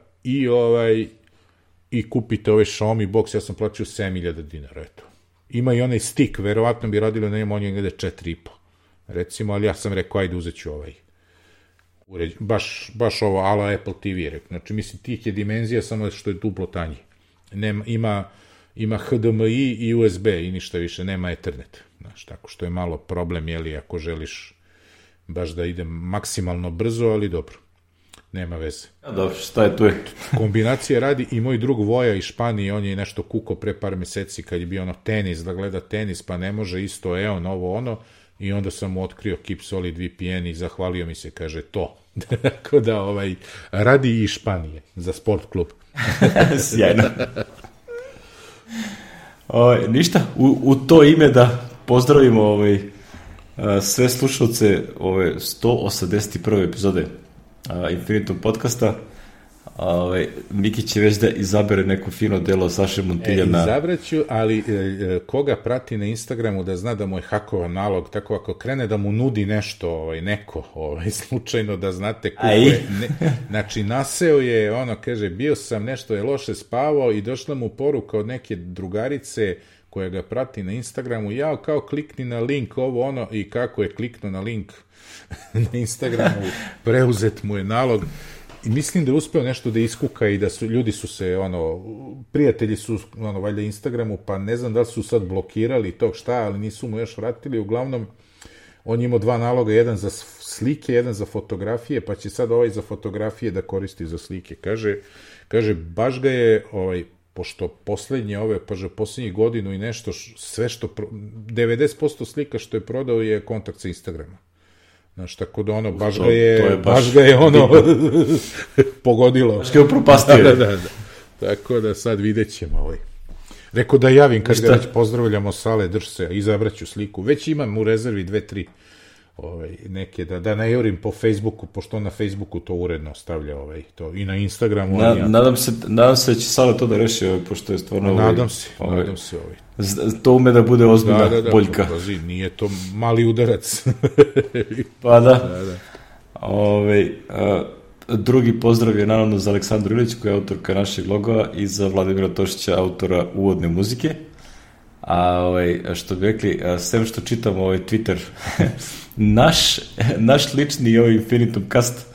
i kupite ovaj Xiaomi box, ja sam plaćao $7.000, eto. Ima i onaj stick, verovatno bi radilo na njemu, on je negde 4,5, recimo, ali ja sam rekao, ajde uzet ću ovaj baš ovo, ala Apple TV, znači, mislim, tih je dimenzija, samo što je duplo tanji. Ima HDMI i USB i ništa više, nema Ethernet, znači, tako što je malo problem, jeli, ako želiš baš da ide maksimalno brzo, ali dobro, nema veze. Dobro, šta je tu je? Kombinacija radi i moj drug Voja iz Španije, on je nešto kuko pre par meseci kad je bio ono tenis, da gleda tenis, pa ne može isto ovo ono, i onda sam mu otkrio Keep Solid VPN i zahvalio mi se, kaže, to. Tako da, radi i Španije za sport klub. Sjajno. Ništa, u to ime da pozdravimo sve slušalce ove 181. epizode Infinitum podcasta. Miki će već da izabere neko fino delo Saše Montiljana. Izabraću, ali koga prati na Instagramu da zna da mu je hakovan nalog, tako ako krene da mu nudi nešto, neko, slučajno da znate kako je. Znači, naseo je, kaže, bio sam, nešto je loše spavao i došla mu poruka od neke drugarice koja ga prati na Instagramu, kao klikni na link, i kako je kliknuo na link na Instagramu, preuzet mu je nalog. I mislim da je uspeo nešto da iskuka i da ljudi su se, prijatelji su, valjda Instagramu, pa ne znam da li su sad blokirali tog šta, ali nisu mu još vratili. Uglavnom, on je imao 2 naloga, jedan za slike, jedan za fotografije, pa će sad za fotografije da koristi za slike. Kaže, baš ga je, pošto poslednjih godinu i nešto, sve što, 90% slika što je prodao je kontakt sa Instagrama. Znaš, tako da baš ga je pogodilo. Baš ga je upropastio. Da. Tako da sad vidjet ćemo Rekao da javim kad ga već pozdravljamo Sale, drž se, izabraću sliku. Već imam u rezervi 2-3 neke, da ne jurim po Facebooku, pošto on na Facebooku to uredno stavlja to, i na Instagramu. Nadam se da će Sale to da reši, pošto je stvarno... Nadam se. To ume da bude ozbiljna boljka. Da, nije to mali udarac. Pa da. Drugi pozdrav je naravno za Aleksandru Ilić, koja je autorka našeg loga, i za Vladimira Tošića, autora uvodne muzike. A što bi rekli, sem što čitam Twitter, naš lični Infinitum Cast,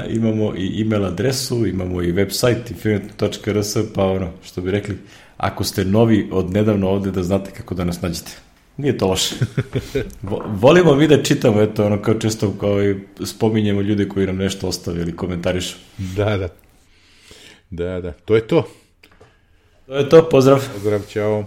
imamo i email adresu, imamo i website infinitum.rs, pa što bi rekli, ako ste novi od nedavno ovde, da znate kako da nas nađete. Nije to loše. Volimo mi da čitamo, kao često spominjemo ljude koji nam nešto ostave ili komentarišu. Da, to je to. To je to, pozdrav. Pozdrav, čao.